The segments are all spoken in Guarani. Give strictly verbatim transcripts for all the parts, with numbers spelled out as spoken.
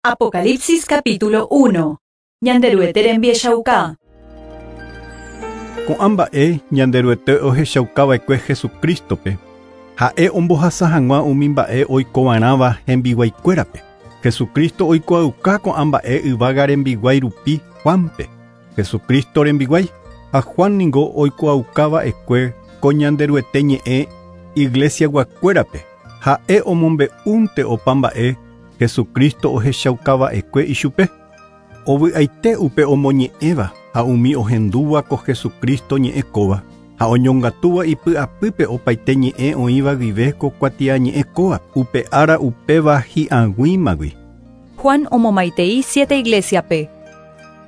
Apocalipsis capítulo uno. Ñanderuete rembiechauka. Ko'ã mba'e Ñanderuete ohechaukava'ekue Jesucristope. Ha'e ombohasa hag̃ua umi mba'e oikova'erãva hembiguaikuérape. Jesucristo oikuaauka ko'ã mba'e yvága rembiguái rupi Juanpe. Jesucristo rembiguái ha Juan ningo oikuaaukava'ekue ko Ñanderuete ñe'ẽ iglesiaguakuérape. Ha'e omombe'únte opa mba'e Jesucristo ohechaukava'ekue ichupe. Ovy'aite upe omoñe'ẽva ha umi ohendúva ko Jesucristo ñe'ẽ kóva ha oñongatúva ipy'apýpe opaite ñe'ẽ oĩva guive ko kuatiañe'ẽ kóva upe ára upéva hi'ag̃uímagui. Juan omomaitei siete iglesiape.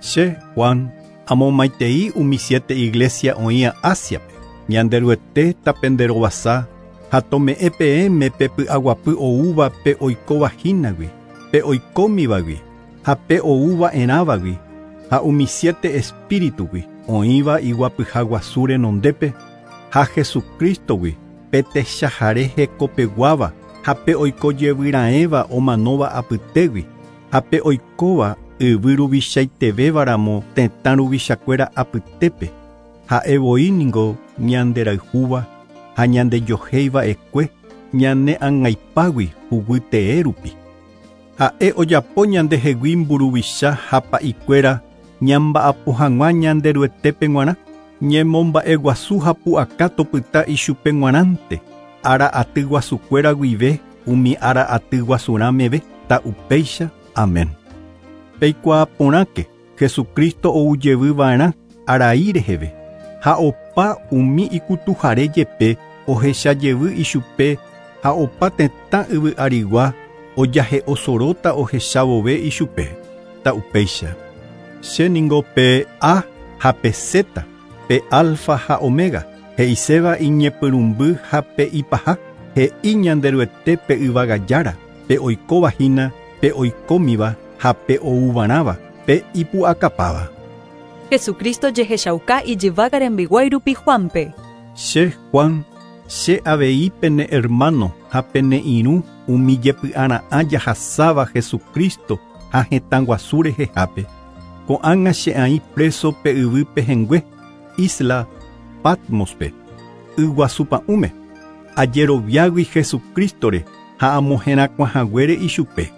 Che, Juan, amomaitei umi siete iglesia oĩva Asiape. Ñanderuete tapenderovasa ha tome'ẽ peẽme pe py'aguapy oúva pe oikóva hínagui, pe oikómivagui ha pe oúva'erãvagui ha umi siete espíritugui oĩva iguapyha guasu renondépe ha Jesucristogui pe techahare hekopeguáva ha pe oikojevyraẽva omanóva apytégui ha pe oikóva yvy ruvichaitevévaramo tetã ruvichakuéra apytépe ha'e voi ningo ñanderayhúva ha ñandejohéiva'ekue ñane ang̃aipágui huguytee rupi. Ha'e ojapo ñandehegui mburuvicha ha pa'ikuéra ñamba'apo hag̃ua Ñanderuetépe g̃uarã ñemomba'eguasu ha pu'aka topyta ichupe g̃uarãnte ára aty guasukuéra guive umi ára aty guasurã meve ta'upéicha. Amén. Peikuaa porãke Jesucristo oujevyva'erã arai reheve ha opa umi ikutuhare jepe ohechajevy ichupe ha opa tetã yvy arigua ojahe'osoróta ohechavove ichupe ta'upéicha. Che ningo pe A ha pe Z, pe alfa ha omega, he'iséva iñepyrũmby ha pe ipaha, he'i Ñanderuete pe yvagajára, pe oikóva hína, pe oikómiva ha pe oúvarãva, pe ipu'akapáva. Jesucristo jehechauka ijyvága rembiguái rupi Juanpe. Che, Juan, che avei pene hermano ha pene irũ umi jepy'ara'ã jahasáva Jesucristo ha hetã guasu rehehápe. Ko'ág̃a che aĩ preso pe yvy pehẽngue, isla Patmospe, yguasupa'ũme, ajeroviágui Jesucristore ha amoherakuãhaguére ichupe.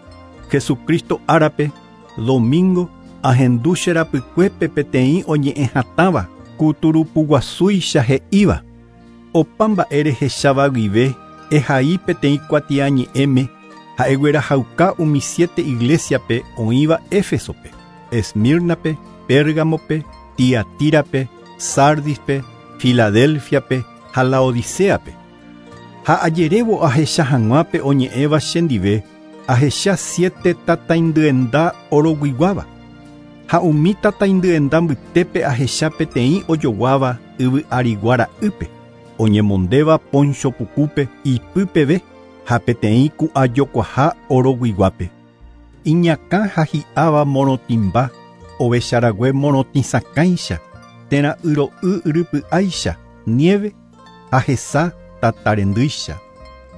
Jesucristo árape, domingo, ahendu che rapykuépe peteĩ oñe'ẽ hatãva kuturupuguasúicha he'íva. Opa mba'e rehecháva guive ehai peteĩ kuatiañe'ẽme ha eguerahauka umi siete iglesiape oĩva Éfesope, Esmirnape, Pérgamope, Tiatirape, Sardispe, Filadelfiape ha Laodiceape. Ha ajerévo ahecha hag̃uápe oñe'ẽva chendive ahecha siete tataindyenda oroguiguáva. Ha umi tataindyenda mbytépe ahecha peteĩ ojoguáva yvy arigua ra'ýpe, oñemondéva poncho pukúpe ipypeve ha peteĩ ku'ajokuaha oroguiguápe. Iñakã ha hi'áva morotĩmba, ovecharague morotĩsakãicha, térã yro'y yrypy'áicha, nieve ha hesa tatarendýicha.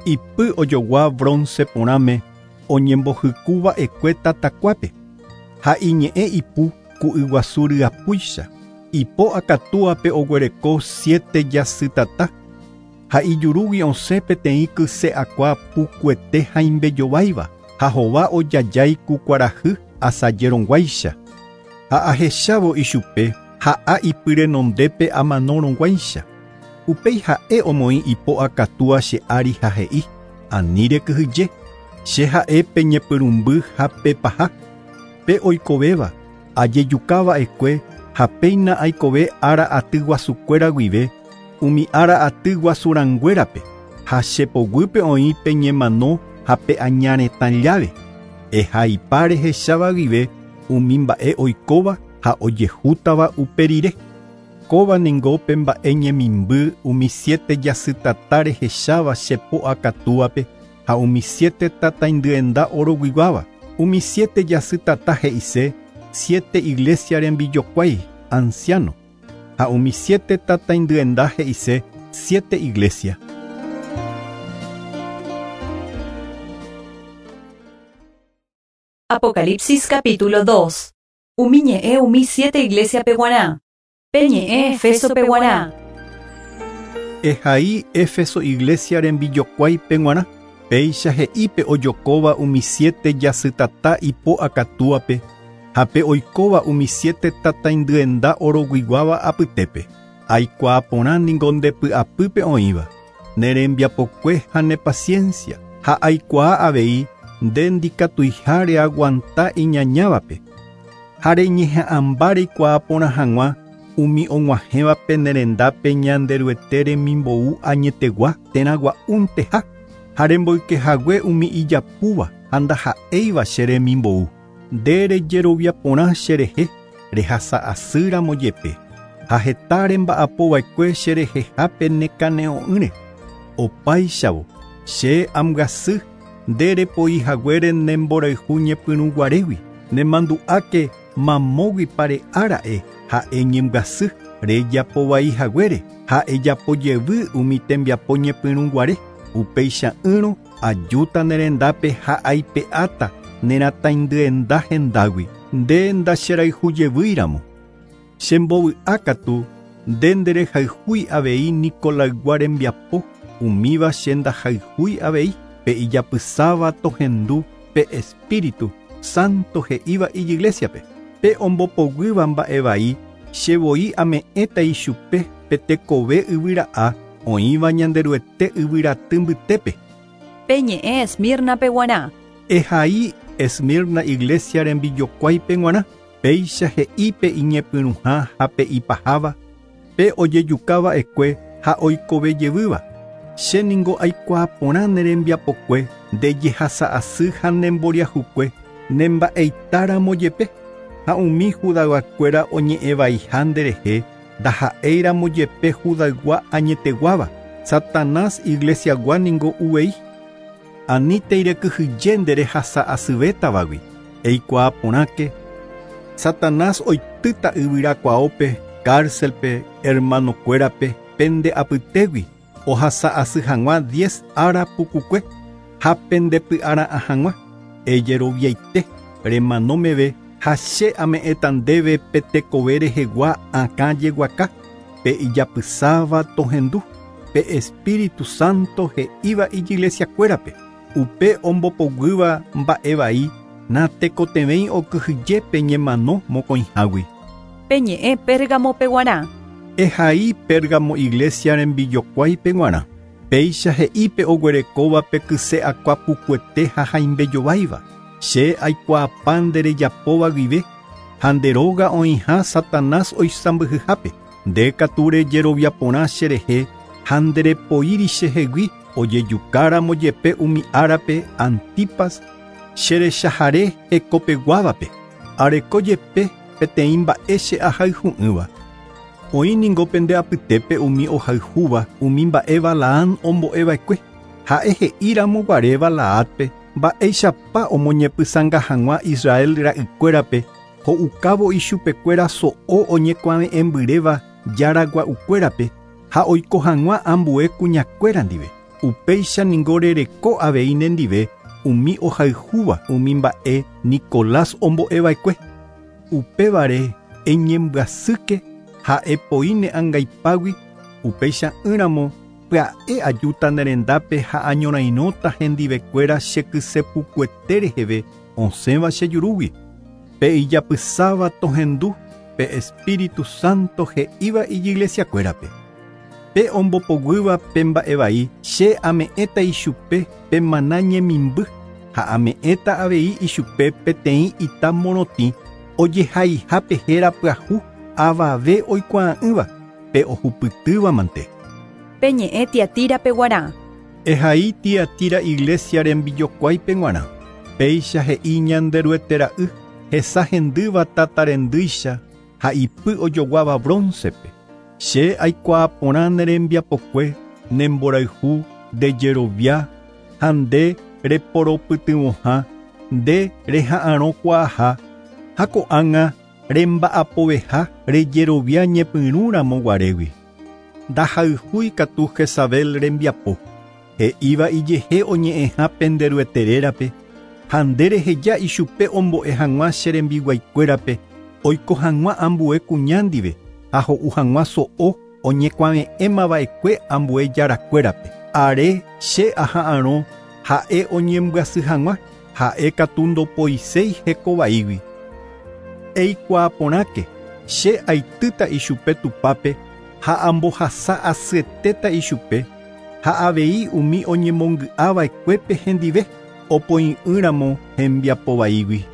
Ipy ojogua bronce porãme oñembohykuva'ekue tatakuápe ha iñe'ẽ ipu ku yguasu ryapúicha. Ipo akatúape oguereko siete jasytata ha ijurúgui osẽ peteĩ kyse akua pukuete haimbejováiva ha hova ojajái ku kuarahy asajerõguáicha. Ha ahechávo ichupe ha'a ipyrenondépe amanorõguáicha. Upéi ha'e omoĩ ipo akatúa che ári ha he'i: Ani rekyhyje, che ha'e pe ñepyrũmby ha pe paha, pe oikovéva, ajejukava'ekue ha péina aikove ára aty guasukuéra guive umi ára aty guasurãnguérape ha che poguýpe oĩ pe ñemano ha pe aña retã llave. Ehaipa rehecháva guive umi mba'e oikóva ha ojehútava upe rire. Kóva ningo pe mba'e ñemimby umi siete jasytata rehecháva che po akatúape ha umi siete tataindyenda oroguiguáva. Umi siete jasytata he'ise siete iglesia rembijokuái anciano ha umi siete tataindyenda he'ise siete iglesia. Apocalipsis capítulo dos. Umi ñe'ẽ umi siete iglesia peguarã. Pe ñe'ẽ Efeso peguarã. Ehai Éfeso iglesia rembijokuái peguarã. Péicha he'ípe ojokóva umi siete jasytata ipo akatúape ha pe oikóva umi siete tataindyenda oroguiguáva apytépe. Aikuaa porã ningo ndepy'apýpe oĩva, ne rembiapokue ha ne paciencia, ha aikuaa avei nde ndikatuiha reaguanta iñañávape. Ha reñeha'ãmba reikuaa porã hag̃ua umi og̃uahẽvape ne rendápe Ñanderuete remimbou añetegua térã gua'únteha ha remboykehague umi ijapúva ha ndaha'éiva che remimbou. Nde rejerovia porã cherehe rehasa'asýramo jepe ha heta remba'apova'ekue cherehehápe nekane'õ'ỹre. Opáichavo che ambyasy nde repoihaguére nemborayhu ñepyrũguarégui nemandu'áke mamógui pare'ára'e ha'e ñembyasy rejapovaihaguére ha ejapojevy umi tembiapo ñepyrũguare. Upeicha'ỹrõ ajúta ne rendápe ha aipe'áta nerataindyenda hendágui nde ndacherayhujevýiramo. Chembovy'ákatu nde nderehayhúi avei Nicolaygua rembiapo umíva che ndahayhúi avei pe ijapysáva tohendu pe Espíritu Santo he'íva ijiglesiape. Pe ombopoguýva mba'evai chevoi ame'ẽta ichupe pe tekove yvyra'a oĩva Ñanderuete yvyraty mbytépe. Pe ñe'ẽ Esmirna peguarã. Ehai Esmirna iglesia rembijokuái peguarã. Péicha he'ípe iñepyrũha ha pe ipaháva pe ojejukava'ekue ha oikovejevýva. Che ningo aikuaa porã ne rembiapokue nde jehasa'asy ha nemboriahukue nemba'eitáramo jepe ha umi judayguakuéra oñe'ẽvaiha nderehe ndaha'éiramo jepe judaygua añeteguáva. Satanás iglesiagua ningo uvei. Anítei rekyhyje nde rehasa'asyvétavagui. Eikuaa porãke Satanás oitýta yvyrakuaópe, cárcelpe, hermanokuérape, pende apytégui ohasa'asy hag̃ua diez ára pukukue ha pendepy'ara'ã hag̃ua. Ejeroviaite remano meve ha che ame'ẽta ndéve pe tekove rehegua akã jeguaka pe ijapysáva tohendu pe Espíritu Santo he'íva ijiglesiakuérape. Upe ombopoguýva mba'evai natekotevẽi okyhyje pe ñemano mokõihágui. Pe ñe'ẽ Pérgamo peguarã. Ehai Pérgamo iglesia rembijokuái peguarã. Péicha he'ípe oguerekóva pe kyse akuapukuete ha haimbejováiva. Che aikuaapa nde rejapóva guive ha nde róga oĩha Satanás oisãmbyhyhápe. Nde katu rejerovia porã cherehe ha nderepoíri chehegui ojejukáramo jepe umi árape Antipas cherechahare hekopeguávape. Areko jepe peteĩ mba'e che ahayhu'ỹva. Oĩ ningo pende apytépe umi ohayhúva umi mba'e Balaam ombo'eva'ekue. Ha'e he'íramo guare Balaátpe mba'éichapa omoñepysãnga hag̃ua Israel ra'ykuérape ho'ukávo ichupekuéra so'o oñekuave'ẽmbyréva jaragua'ukuérape ha oiko hag̃ua ambue kuñakuéra ndive. Upéicha ningo rereko avei nendive umi ohayhúva umi mba'e Nicolás ombo'eva'ekue. Upévare eñembyasýke ha epoi ne angaipágui upeicha'ỹramo pya'e ajúta ne rendápe ha añorairõta hendivekuéra che kysepukuete reheve osẽva che jurúgui. Pe ijapysáva tohendu pe Espíritu Santo he'íva ijiglesiakuérape. Pe ombopoguýva pe mba'evai che ame'ẽta ichupe pe maná ñemimby ha ame'ẽta avei ichupe peteĩ ita morotĩ ojehaihápe héra pyahu avave oikuaa'ỹva pe ohupytýva mante. Pe ñe'ẽ Tiatira peguarã. Ehai Tiatira iglesia rembijokuái peguarã. Péicha he'i Ñanderuete ra'y hesa hendýva tatarendýicha ha ipy ojoguáva broncepe. Che aikuaa porã ne rembiapokue nemborayhu ndejerovia ha nde reporopytyvõha nde reha'arõkuaaha ha ko'ág̃a remba'apoveha rejerovia ñepyrũramo guarégui. Ndahayhúi katu Jezabel rembiapo he'íva ijehe oñe'ẽha Penderuete rérape Ha nde reheja ichupe ombo'e hag̃ua che rembiguaikuérape oiko hag̃ua ambue kuña ndive ha ho'u hag̃ua so'o oñekuave'ẽmava'ekue ambue jarakuérape. Are che aha'arõ ha'e oñembyasy hag̃ua ha'e katu ndopoiséi hekovaígui. Eikuaa porãke che aitýta ichupe tupápe ha ambohasa asyetéta ichupe ha avei umi oñemongy'ava'ekuépe hendive opoi'ỹramo hembiapovaígui.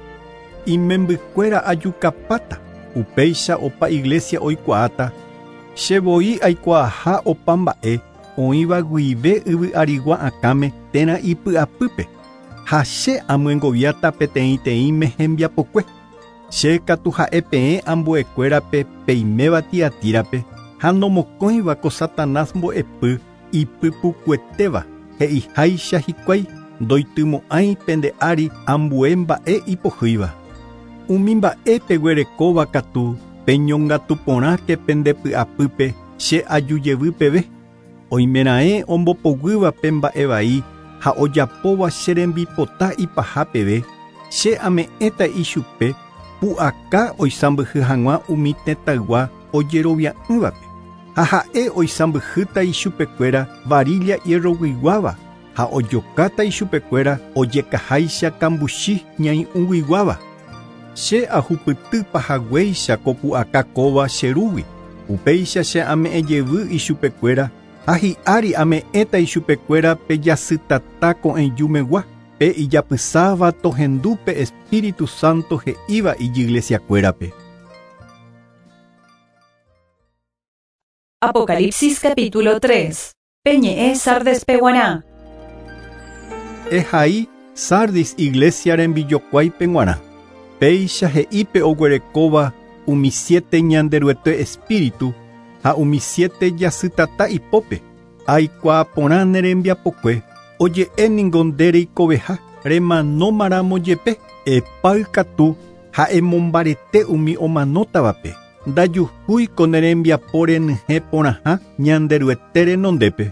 Imembykuéra ajukapáta upéicha opa iglesia oikuaáta che voi aikuaaha opa mba'e oĩva guive yvy arigua akãme térã ipy'apýpe ha che amyengoviáta peteĩteĩme hembiapokue. Che katu ha'e peẽ ambuekuérape peiméva Tiatírape ha nomokõiva ko Satanás mbo'epy ipypukuetéva he'iháicha hikuái ndoitymo'ãi pende ári ambue mba'e ipohýiva. Umi mba'e peguerekóva katu peñongatu porãke pende py'apýpe che ajujevy peve. Oimeraẽ ombopoguýva pe mba'e vai ha ojapóva che rembipota ipaha peve che ame'ẽta ichupe pu'aka oisãmbyhy hag̃ua umi tetãygua ojerovia'ỹvape. Ha ha'e oisãmbyhýta ichupekuéra varilla hierroguiguáva ha ojokáta ichupekuéra ojekaháicha kambuchi ñai'ũguiguáva. Che ahupytýpa haguéicha ko pu'aka kóva che rúgui. Upéicha che ame'ẽjevy ichupekuéra ha hi'ári ame'ẽta ichupekuéra pe jasytata ko'ẽjumegua pe ijapysáva tohendu pe Espíritu Santo he'íva ijiglesiakuérape. Apocalipsis capítulo tres. Peñe'ẽ Sardes peguarã. Ehai Sardis iglesia rembijokuái peg̃uarã. Péicha he'ípe oguerekóva umi siete Ñanderuete espíritu ha umi siete jasytata ipópe. Aikuaa porã ne rembiapokue oje'e ningo nde reikoveha remanómaramo jepe epáy katu ha emombarete umi omanótavape. Ndajuhúi ko ne rembiapo renyhẽ porãha Ñanderuete renondépe.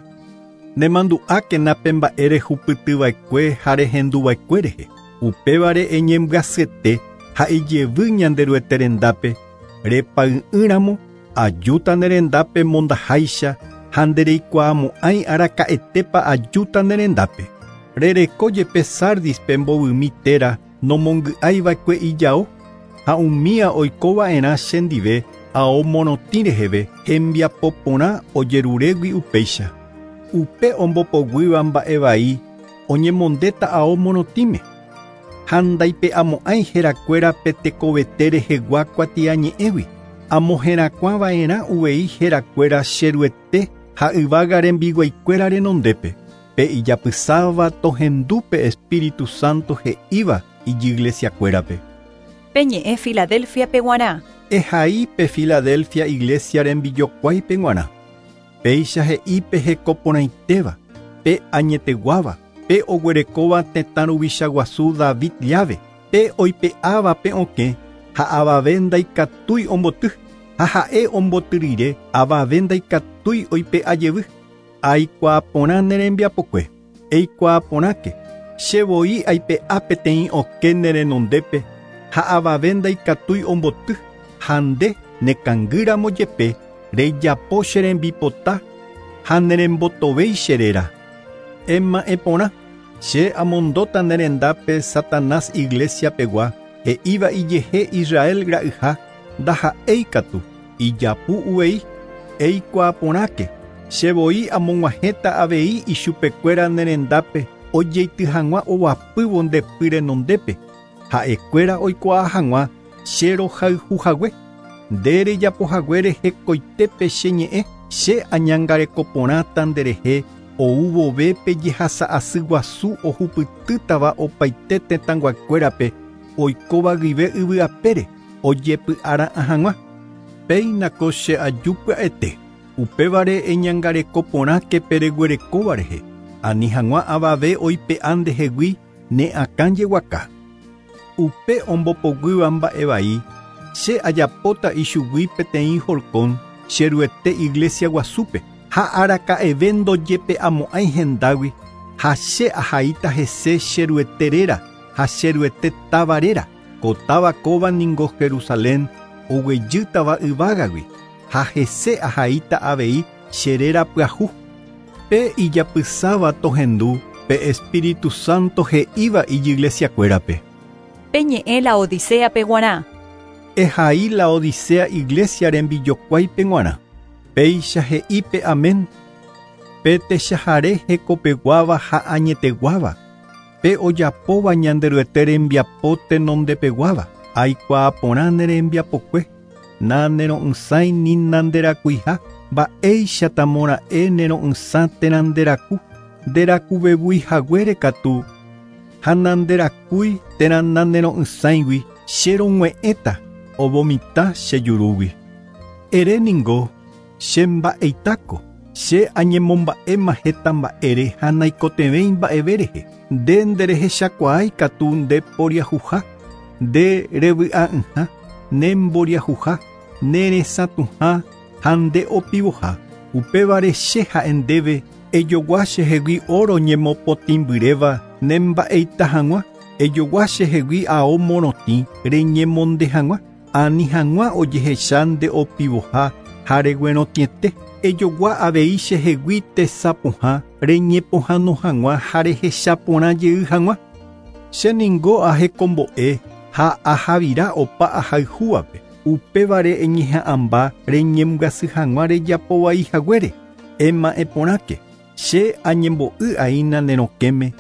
Nemandu'ákena pe mba'e rehupytyva'ekue ha rehenduva'ekue rehe. Upévare eñembyasyete ha ijevy Ñanderuete rendápe repay'ỹramo ajúta ne rendápe mondaháicha ha ndereikuaamo'ãi araka'etépa ajúta ne rendápe. Rereko jepe Sardispe mbovymi téra nomongy'aiva'ekue ijao ha umía oikova'erã chendive ao morotĩ reheve hembiapo porã ojerurégui upéicha. Upe ombopoguýva mba'e vai oñemondéta ao morotĩme ha ndaipe'amo'ãi herakuéra pe tekovete rehegua kuatiañe'ẽgui. Amoherakuãva'erã uvei herakuéra cheruete ha yvága rembiguaikuéra renondépe. Pe ijapysáva tohendu pe Espíritu Santo he'íva ijiglesiakuérape. Peñe'ẽ Filadelfia peguarã. Ehai pe Filadelfia iglesia rembijokuái peg̃uarã. Péicha he'i pe hekoporãitéva, pe añeteguáva, pe oguerekóva tetã ruvicha guasu David llave, pe oipe'áva pe okẽ ha avave ndaikatúi omboty, ha ha'e omboty rire avave ndaikatúi oipe'a jevy. Aikuaa porã ne rembiapokue. Eikuaa porãke che voi aipe'a peteĩ okẽ ne renondépe ha avave ndaikatúi omboty ha nde nekangýramo jepe rejapo che rembipota ha nerembotovéi che réra. Ema'ẽ porã che amondóta ne rendápe Satanás iglesia pegua he'íva ijehe Israel ra'yha ndaha'éi katu ijapu uvei. Eikuaa porãke che voi amog̃uahẽta avei ichupekuéra ne rendápe ojeity hag̃ua ovapývo ndepy renondépe ha'ekuéra oikuaa hag̃ua che rohayhuhague. Nde rejapohaguére hekoitépe che ñe'ẽ che añangareko porãta nderehe ou vove pe jehasa'asy guasu ohupytýtava opaite tetãnguakuérape oikóva guive yvy apére ojepy'ara'ã hag̃ua. Péina ko che aju pya'ete. Upévare eñangareko porãke pereguerekóva rehe. Ani hag̃ua avave oipe'a ndehegui ne akã jeguaka. Upe ombopoguýva mba'e vai che ajapóta ichugui peteĩ horkón cheruete iglesia guasúpe ha araka'eve ndojepe'amo'ãi hendágui ha che ahaíta hese cheruete réra ha che Ruete táva réra. Ko táva kóva ningo Jerusalén oguejýtava yvágagui ha hese ahaíta avei che réra pyahu. Pe ijapysáva tohendu pe Espíritu Santo he'íva ijiglesiakuérape. Pe ñe'ẽ Laodicea-pe g̃uarã. Ehai Laodicea iglesia rembijokuáipe g̃uarã. Péicha he'i pe Amén. Pe techahare hekopeguáva ha añeteguáva. Pe ojapóva Ñanderuete rembiapo tenondepeguáva. Aikuaa porã ne rembiapokue. Na nero'ysãi ni nanderakuiha. Mba'éicha tamora'e nero'ysã térã nderaku. Nderakuvevuihaguére katu. Ha nanderakúi térã nanero'ysãigui che rog̃ue'ẽta ovomitã che jurúgui. Ere ningo che mba'eitáko. Che añemomba'éma heta mba'ére ha naikotevẽi mba'eve rehe. Nde nderehechakuaái katu nde poriahuha, nde revy'a'ỹha, ne mboriahuha, ne resãtuha ha nde opivoha. Upévare che ha'e ndéve ejogua chehegui oro ñemopotĩmbyréva ne mba'eita hag̃ua, ejogua chehegui ao morotĩ reñemonde hag̃ua, ani hag̃ua ojehecha nde opivoha ha reguerotĩete. Ejogua avei chehegui tesapohã reñepohãno hag̃ua ha rehecha porã jey hag̃ua. Che ningo ahekombo'e ha ahavira opa ahayhúvape. Upévare eñeha'ãmba reñembyasy hag̃ua rejapovai haguére. Ema'ẽ porãke. Che añembo'y aína ne rokẽme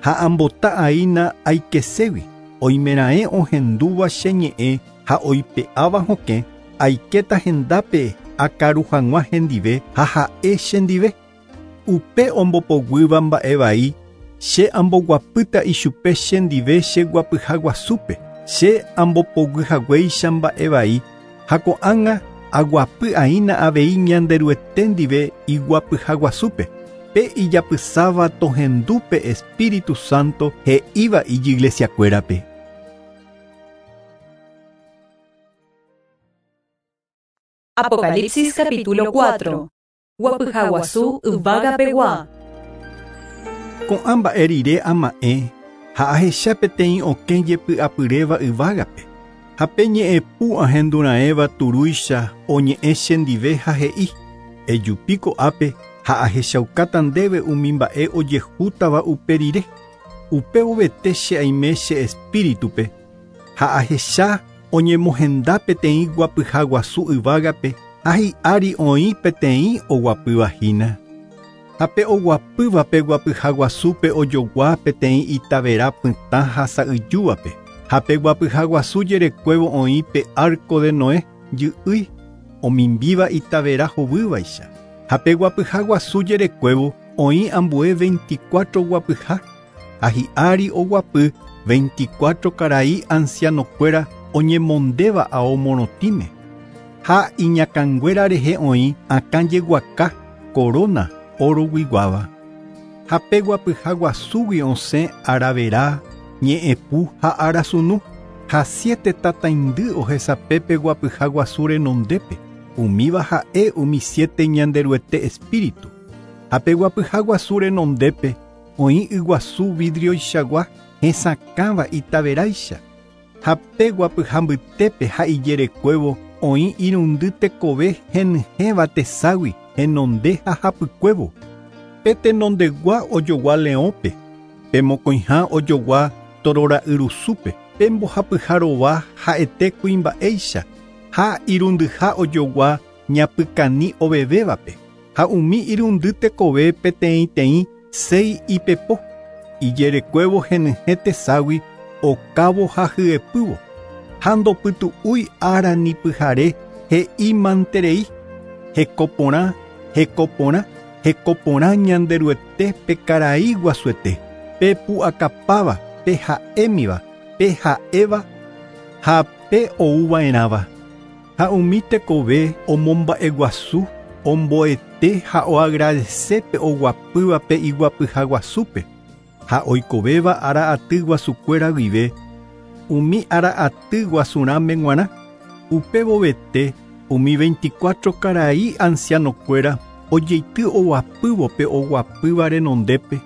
ha ambota aína aikeségui. Oimeraẽ ohendúva che ñe'ẽ ha oipe'áva hokẽ aikéta hendápe akaru hag̃ua hendive ha ha'e chendive. Upe ombopoguýva mba'e vai che amboguapýta ichupe chendive cheguapyha guasúpe. Che ambopoguyhaguéicha mba'e vai ha ko'ág̃a aguapy aína avei Ñanderuete ndive iguapyha guasúpe. Pe ijapysáva tohendu pe Espíritu Santo he'íva ijiglesiakuérape. Apocalipsis capítulo cuatro. Guapyha guasu yvágapegua. Ko'ã mba'e rire ama'ẽ ha ahecha peteĩ okẽ jepy'apyréva yvágape. Ha pe ñe'ẽpu ahendura'ẽva turúicha oñe'ẽ chendive ha he'i. Ejupi ko'ápe ha ahechaukáta ndéve umi mba'e ojehútava upe rire. Upe ovete che aime che espíritupe ha ahecha oñemohenda peteĩ guapyha guasu yvágape ha hi'ári oĩ peteĩ oguapýva hína. Ha pe oguapýva pe guapyha guasúpe ojogua peteĩ itavera pytã ha sa'yjúvape. Ha pe guapyha guasu jerekuévo oĩ pe arco de Noé jy'ýi omimbíva itavera hovývaicha. Ha pe guapyha guasu jerekuévo oĩ ambue veinticuatro guapyha. Ha hi'ári oguapy veinticuatro karai ancianokuéra oñemondéva ao morotĩme. Ha iñakãnguéra rehe oĩ akã jeguaka corona oroguiguáva. Ha pe guapyha guasúgui osẽ aravera, ñe'ẽpu ha arasunu. Ha siete tataindy ohesape pe guapyha guasu renondépe. Umíva ha'e umi siete Ñanderuete espíritu. Ha pe guapyha guasu renondépe oĩ yguasu vidrioichagua hesakãva itaveráicha. Ha pe guapyha mbytépe ha ijerekuévo oĩ irundy tekove henyhẽva teságui henonde ha hapykuévo. Pe tenondegua ojogua leõpe, pe mokõiha ojogua torora'yrusúpe, pe mbohapyha rova ha'ete kuimba'éicha ha irundyha ojogua ñapykani ovevévape. Ha umi irundy tekove peteĩteĩ sei ipepo. Ijerekuévo henyhẽ teságui okávo ha hyepývo. Ha ndopytu'úi ára ni pyhare he'i manterei. Hekoporã, hekoporã, hekoporã Ñanderuete pe karai guasuete. Pe pu'akapáva, pe ha'émiva, pe ha'éva ha pe ouva'erãva. Ha umi tekove omomba'eguasu, omboete ha oagradece pe oguapýva pe iguapyha guasúpe. Ha oikovéva ára aty guasukuéra guive, umi ára aty guasurãme g̃uarã. Upe vovete umi veinticuatro karai ancianokuéra ojeity oguapývo pe oguapýva renondépe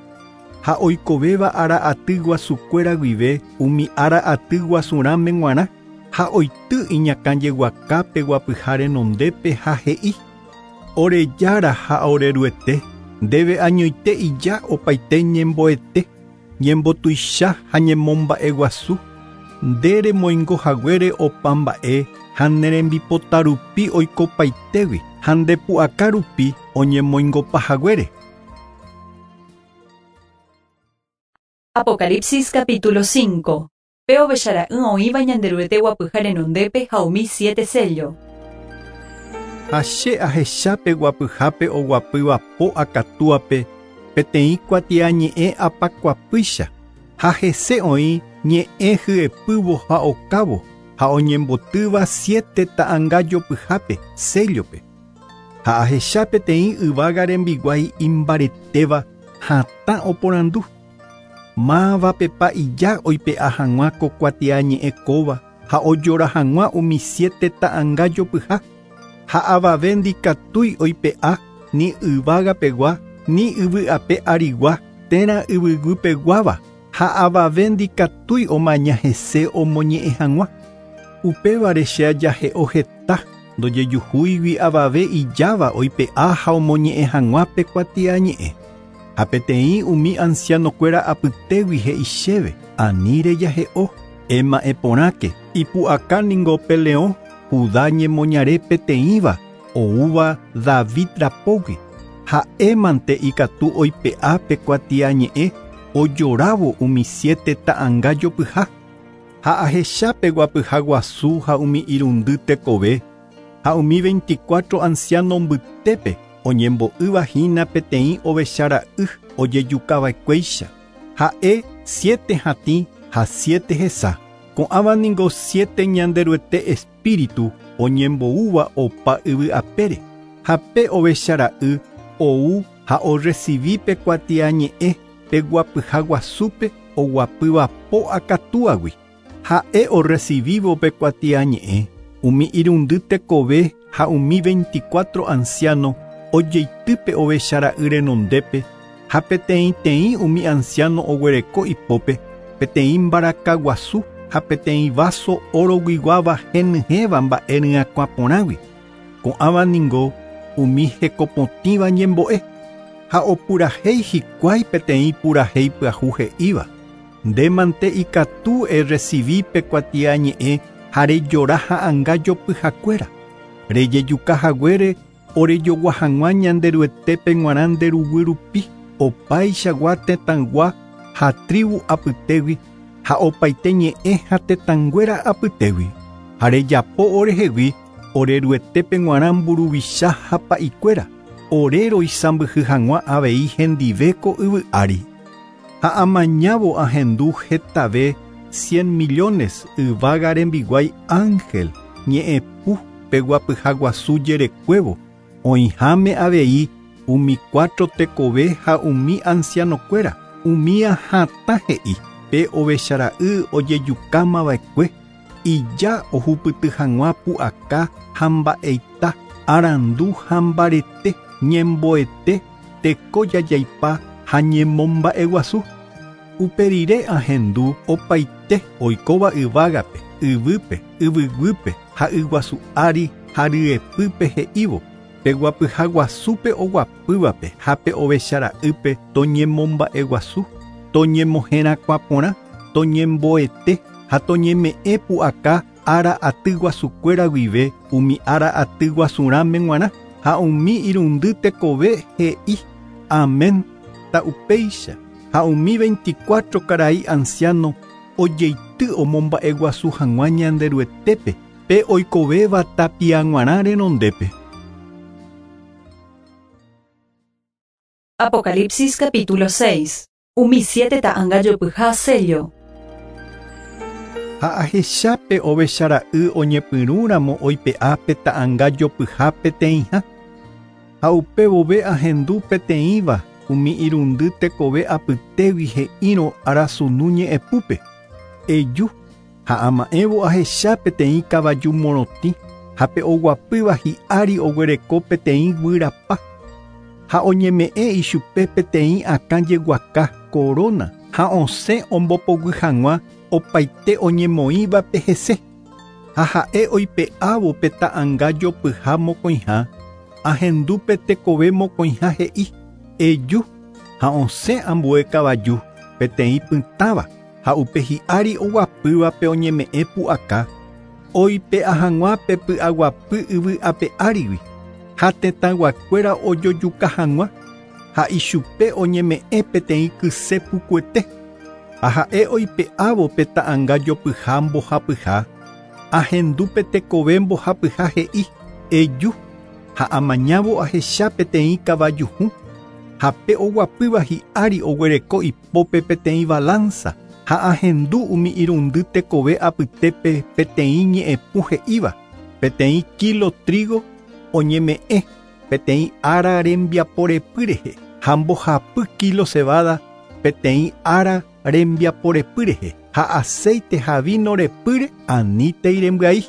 Ha oikovéva ára aty guasukuéra guive umi ára aty guasurãme g̃uarã ha oity iñakãjeguakápe guapyha renondépe ha he'i Orejára ha oreruete ndéve añoite ija opaite ñemboete ñembotuicha ha ñemomba'eguasu nde remoingohaguére opa mba'e ha ne rembipota rupi oikopaitégui ha ndepu'aka rupi oñemoingopahaguére. Apocalipsis capítulo cinco. Pe ovechara'ỹ oĩva Ñanderuete guapyha renondépe ha umi siete sello. Ha che ahechápe guapyhápe oguapýva po akatúape peteĩ kuatiañe'ẽ apakuapýicha ha hese oĩ ñe'ẽ hyepývo ha okávo ha oñembotýva siete ta'ãngajopyhápe séllope. Ha ahecha peteĩ yvága rembiguái imbaretéva hatã oporandu. Mávapepa ija oipe'a hag̃ua ko kuatiañe'ẽ kóva ha ojora hag̃ua umi siete ta'ãngajopyha ha avave ndikatúi oipe'a ni yvágapegua ni yvy'ape arigua térã yvyguýpeguáva ha avave ndikatúi omaña hese omoñe'ẽ hag̃ua. Upévare che ajahe'o heta ndojejuhúigui avave ijáva oipe'a ha omoñe'ẽ hag̃ua pe kuatiañe'ẽ. Ha peteĩ umi ancianokuéra apytégui he'i chéve ani rejahe'o ema'ẽporãke ipu'aka ningo pe leõ Judá ñemoñare peteĩva oúva David rapógui ha'émante ikatu oipe'a pe kuatiañe'ẽ ojorávo umi siete ta'ãngajopyha ha ahechápe guapyha guasu ha umi irundy tekove ha umi veinticuatro anciano mbytépe oñembo'ýva hína peteĩ ovechara'y ojejukava'ekuéicha ha'e siete hatĩ ha siete hesa ko'ãva ningo siete Ñanderuete espíritu oñemboúva opa yvy'apére ha pe ovechara'y ou ha orecibi pe kuatiañe'ẽ pe guapyha guasúpe oguapýva po akatúagui ha'e orecibívo pe kuatiañe'ẽ umi irundy tekove ha umi veinticuatro anciano ojeitýpe ovechara'y renondépe ha peteĩteĩ umi anciano oguereko ipópe peteĩ mbaraka guasu ha peteĩ vaso oroguiguáva henyhẽva mba'e ryakuã porãgui ko'ãva ningo umi hekopotĩva ñembo'e ha opurahéi hikuái peteĩ purahéi pyahu he'íva ndémante ikatu erecibi pe kuatiañe'ẽ ha rejora ha'ãngajopyhakuéra rejejukahaguére orejogua hag̃ua Ñanderuetépe g̃uarã nderuguy rupi opaichagua tetãygua ha tribu apytégui ha opaite ñe'ẽ ha tetãnguéra apytégui ha rejapo orehegui oreruetépe g̃uarã mburuvicha ha pa'ikuéra ore roisãmbyhy hag̃ua avei hendive ko yvy ári. Ha amañávo ahendu hetave cien millones yvága rembiguái ángel ñe'ẽpu pe guapyha guasu jerekuévo oĩháme avei umi cuatro tekove ha umi ancianokuéra umía hatã he'i pe ovechara'y ojejukámava'ekue ija ohupyty hag̃ua pu'aka ha mba'eita arandu ha mbarete ñemboete teko jajaipa ha ñemomba'eguasu. Uperire ahendu opaite oikóva yvágape yvýpe yvyguýpe ha yguasu ári ha ryepýpe he'ívo pe guapyha guasúpe oguapývape ha pe ovechara'ýpe toñemomba'eguasu toñemoherakuã porã toñemboete ha toñeme'ẽ pu'aka ára aty guasukuéra guive umi ára aty guasurãme g̃uarã ha umi irundy tekove he'i amén ta'upéicha ha umi veinticuatro karai anciano ojeity omomba'eguasu hag̃ua Ñanderuetépe pe oikovéva tapia g̃uarã renondépe. Apocalipsis capítulo seis. Umi siete ta'ãngajopyha sello. Ha ahechápe ovechara'y oñepyrũramo oipe'a pe ta'ãngajopyha peteĩha ha upévove ahendu peteĩva umi irundy tekove apytégui he'írõ arasunu ñe'ẽpúpe eju ha ama'ẽvo ahecha peteĩ kavaju morotĩ ha pe oguapýva hi'ári oguereko peteĩ guyrapa ha oñeme'ẽ ichupe peteĩ akã jeguaka corona ha osẽ ombopoguy hag̃ua opaite oñemoĩvape hese. Ha ha'e oipe'ávo pe ta'ãnga jopyha mokõiha, ahendu pe tekove mokõiha he'i eju ha osẽ ambue kavaju peteĩ pytãva ha upe hi'ári oguapývape oñeme'ẽ pu'aka oipe'a hag̃ua pe py'aguapy yvy ape árigui ha tetãyguakuéra ojojuka hag̃ua ha ichupe oñeme'ẽ peteĩ kyse pukuete ha ha'e oipe'ávo pe ta'ãnga jopyha mbohapyha ahendu pe tekove mbohapyha he'i eju ha amañávo ahecha peteĩ kavajuhũ ha pe oguapýva hi'ári oguereko ipópe peteĩ balanza ha ahendu umi irundy tekove apytépe peteĩ ñe'ẽpu he'íva peteĩ kilo trigo oñeme'ẽ peteĩ ára rembiaporepy rehe ha mbohapy kilo cebada peteĩ ára rembiaporepy rehe ha aceite ha vino repýre anítei rembyai.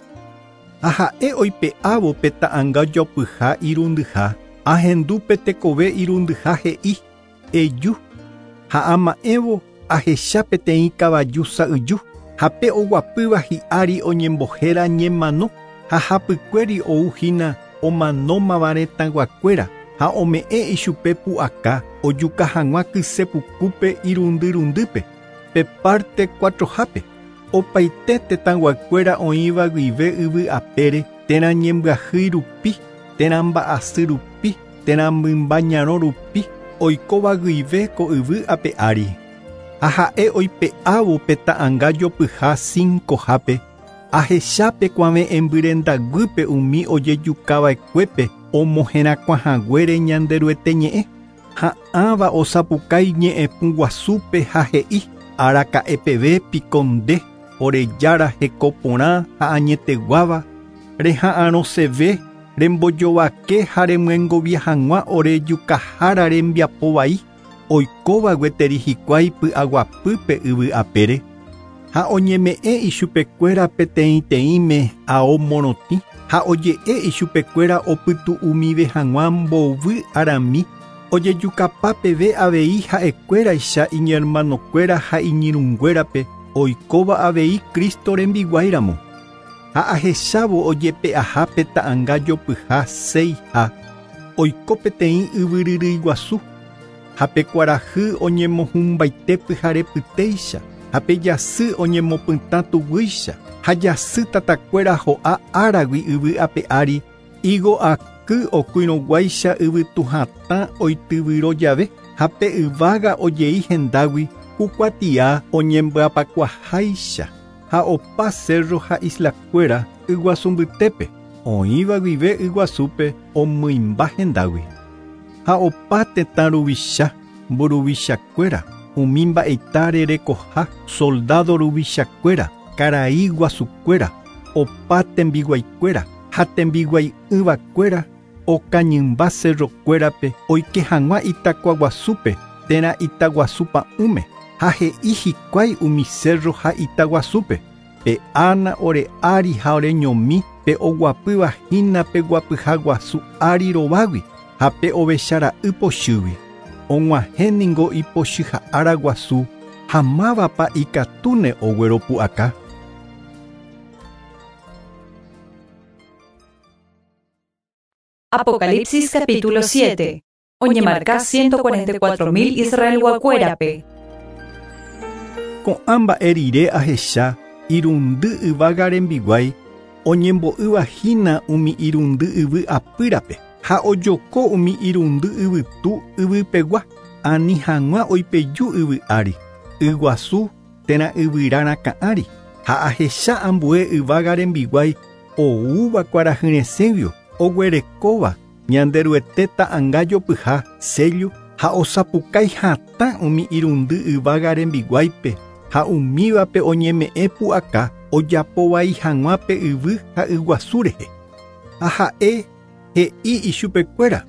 Ha ha'e oipe'ávo pe ta'ãnga jopyha irundyha ahendu pe tekove irundyha he'i eju ha ama'ẽvo ahecha peteĩ kavaju sa'yju ha pe oguapýva hi'ári oñembohéra ñemano ha hapykuéri ouhína omanómava retãyguakuéra ha ome'ẽ ichupe pu'aka ojuka hag̃ua kysepukúpe irundyrundýpe pe parte cuatrohápe opaite tetãyguakuéra oĩva guive yvy apére térã ñembyahýi rupi térã mba'asy rupi térã mymba ñarõ rupi oikóva guive ko yvy ape ári. Ha ha'e oipe'ávo pe ta'ãnga jopyha cincohápe ahecha pe kuave'ẽmbyrendaguýpe umi ojejukava'ekuépe omoherakuãhaguére Ñanderuete ñe'ẽ ha ãva osapukái ñe'ẽpu guasúpe ha he'i araka'epeve piko nde orejára heko porã ha añeteguáva reha'arõseve rembojovake ha remyengovia hag̃ua orejukahára rembiapo vai oikóva gueteri hikuái py'aguapýpe yvy apére ha oñeme'ẽ ichupekuéra peteĩteĩme ao morotĩ ha oje'e ichupekuéra opytu'umive hag̃ua mbovy arami ojejukapa peve avei ha'ekuéraicha iñermanokuéra ha iñirũnguérape oikóva avei Cristo rembiguáiramo. Ha ahechávo ojepe'aha pe ta'ãnga jopyha seiha oiko peteĩ yvyryrýi guasu ha pe kuarahy oñemohũmbaite pyharepytéicha ha pe jasy oñemopytã tuguýicha ha jasy tatakuéra ho'a áragui yvy ape ári higo aky okuirõguáicha yvytuhatã oityvyro jave ha pe yvága ojei hendágui kukuatia oñembyapakuaháicha ha opa cerro ha islakuéra yguasu mbytépe oĩva guive yguasúpe omymba hendágui ha opa tetã ruvicha mburuvichakuéra umi mba'eita rerekoha soldado ruvichakuéra karai guasukuéra opa tembiguaikuéra ha tembiguai'ỹvakuéra okañymba cerrokuérape oike hag̃ua itakuaguasúpe térã itaguasupa'ũme ha he'i hikuái umi cerro ha itaguasúpe pe ána ore ári ha oreñomi pe oguapýva hína pe guapyha guasu ári rovágui ha pe ovechara'y pochýgui og̃uahẽ ningo ipochyha ára guasu ha mávapa ikatúne ogueropu'aka. Apocalipsis capítulo siete. Oñemarka ciento cuarenta y cuatro mil Israelguakuérape. Ko'ã mba'e rire ahecha irundy yvága rembiguái oñembo'ýva hína umi irundy yvy apýrape ha ojoko umi irundy yvytu yvypegua ani hag̃ua oipeju yvy ári yguasu térã yvyra rakã ári ha ahecha ambue yvága rembiguái oúva kuarahyresẽguio oguerekóva Ñanderuete ta'ãnga jopyha sello ha osapukái hatã umi irundy yvága rembiguáipe ha umívape oñeme'ẽ pu'aka ojapovai hag̃ua pe yvy ha yguasu rehe. Ha ha'e he'i ichupekuéra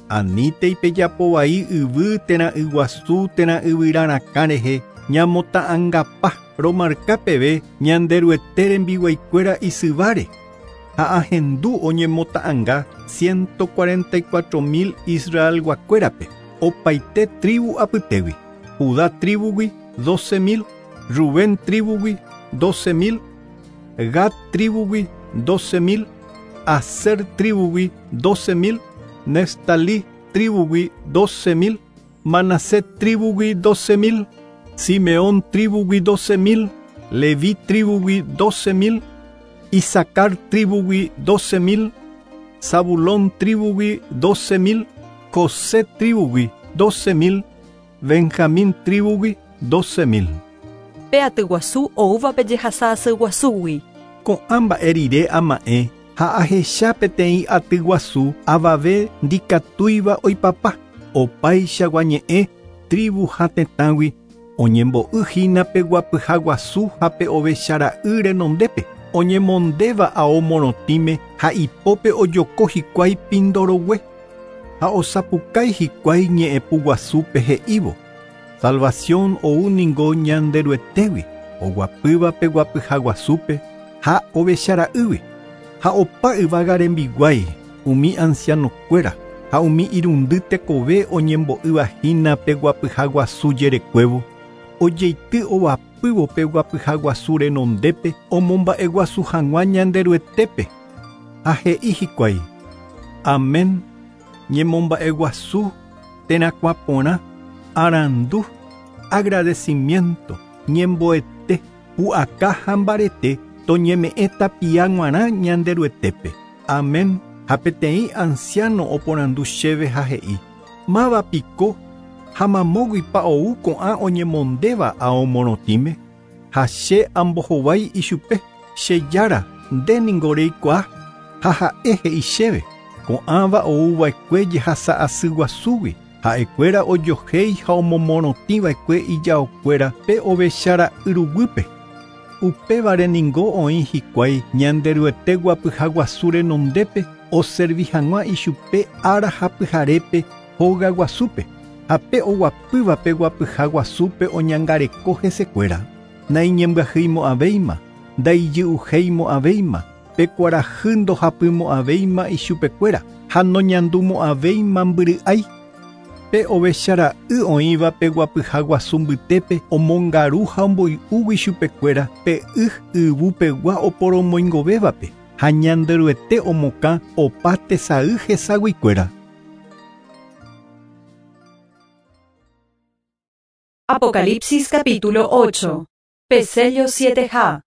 anítei pejapovai yvy térã yguasu térã yvyra rakã rehe ñamota'ãngapa romarka peve Ñanderuete rembiguaikuéra isyváre ha ahendu oñemota'ãnga ciento cuarenta y cuatro mil Israelguakuérape opaite tribu apytégui. Judá tribugui doce mil, Rubén tribugui doce mil, Gad tribugui doce mil, Aser tribugui doce mil, Neftalí tribugui doce mil, Manasés tribugui doce mil, Simeón tribugui doce mil, Leví tribugui doce mil, Isacar tribugui doce mil, Zabulón tribugui doce mil, José tribugui doce mil, Benjamín tribugui doce mil. Pe aty guasu oúva pe jehasa asy guasúgui. Ko'ã mba'e rire ama'ẽ ha ahecha peteĩ aty guasu avave ndikatúiva oipapa opaichagua ñe'ẽ tribu ha tetãgui oñembo'y pe guapyha guasu ha pe ovechara'y renondépe oñemondéva ao morotĩme ha ipópe ojoko hikuái pindorogue ha osapukái hikuái ñe'ẽpu guasúpe he'ívo salvación ou ningo Ñanderuetégui oguapýva pe guapyha guasúpe ha ovechara'ýgui ha opa yvága rembiguái umi ancianokuéra ha umi irundy tekove oñembo'ýva hína pe guapyha guasu jerekuévo ojeity ovapývo pe guapyha guasu renondépe omomba'eguasu hag̃ua Ñanderuetépe ha he'i hikuái amén ñemomba'eguasu terakuã porã arandu agradecimiento ñemboete pu'aka ha mbarete toñeme'ẽ tapia g̃uarã Ñanderuetépe amén. Ha peteĩ anciano oporandu chéve ha he'i máva piko ha mamóguipa ou ko'ã oñemondéva ao morotĩme ha che ambohovái ichupe che jára nde ningo reikuaa ha ha'e he'i chéve ko'ãva ouva'ekue jehasa asy guasúgui ha'ekuéra ojohéi ha omomorotĩva'ekue ijaokuéra pe ovechara'y ruguýpe upévare ningo oĩ hikuái Ñanderuete guapyha guasu renondépe oservi hag̃ua ichupe ára ha pyharépe hóga guasúpe ha pe oguapýva pe guapyha guasúpe oñangareko hesekuéra naiñembyahýimo'ãvéima ndaijy'uhéimo'ãvéima pe kuarahy ndohapymo'ãvéima ichupekuéra ha noñandumo'ãvéima mbyry'ái pe ovechara'y oĩva pe guapyha guasu mbytépe omongaru ha omboy'úgui chupekuéra pe y yvupegua oporomoingovévape ha Ñanderuete omokã opa tesay hesaguikuéra. Apocalipsis capítulo ocho. Pe sello siete ha.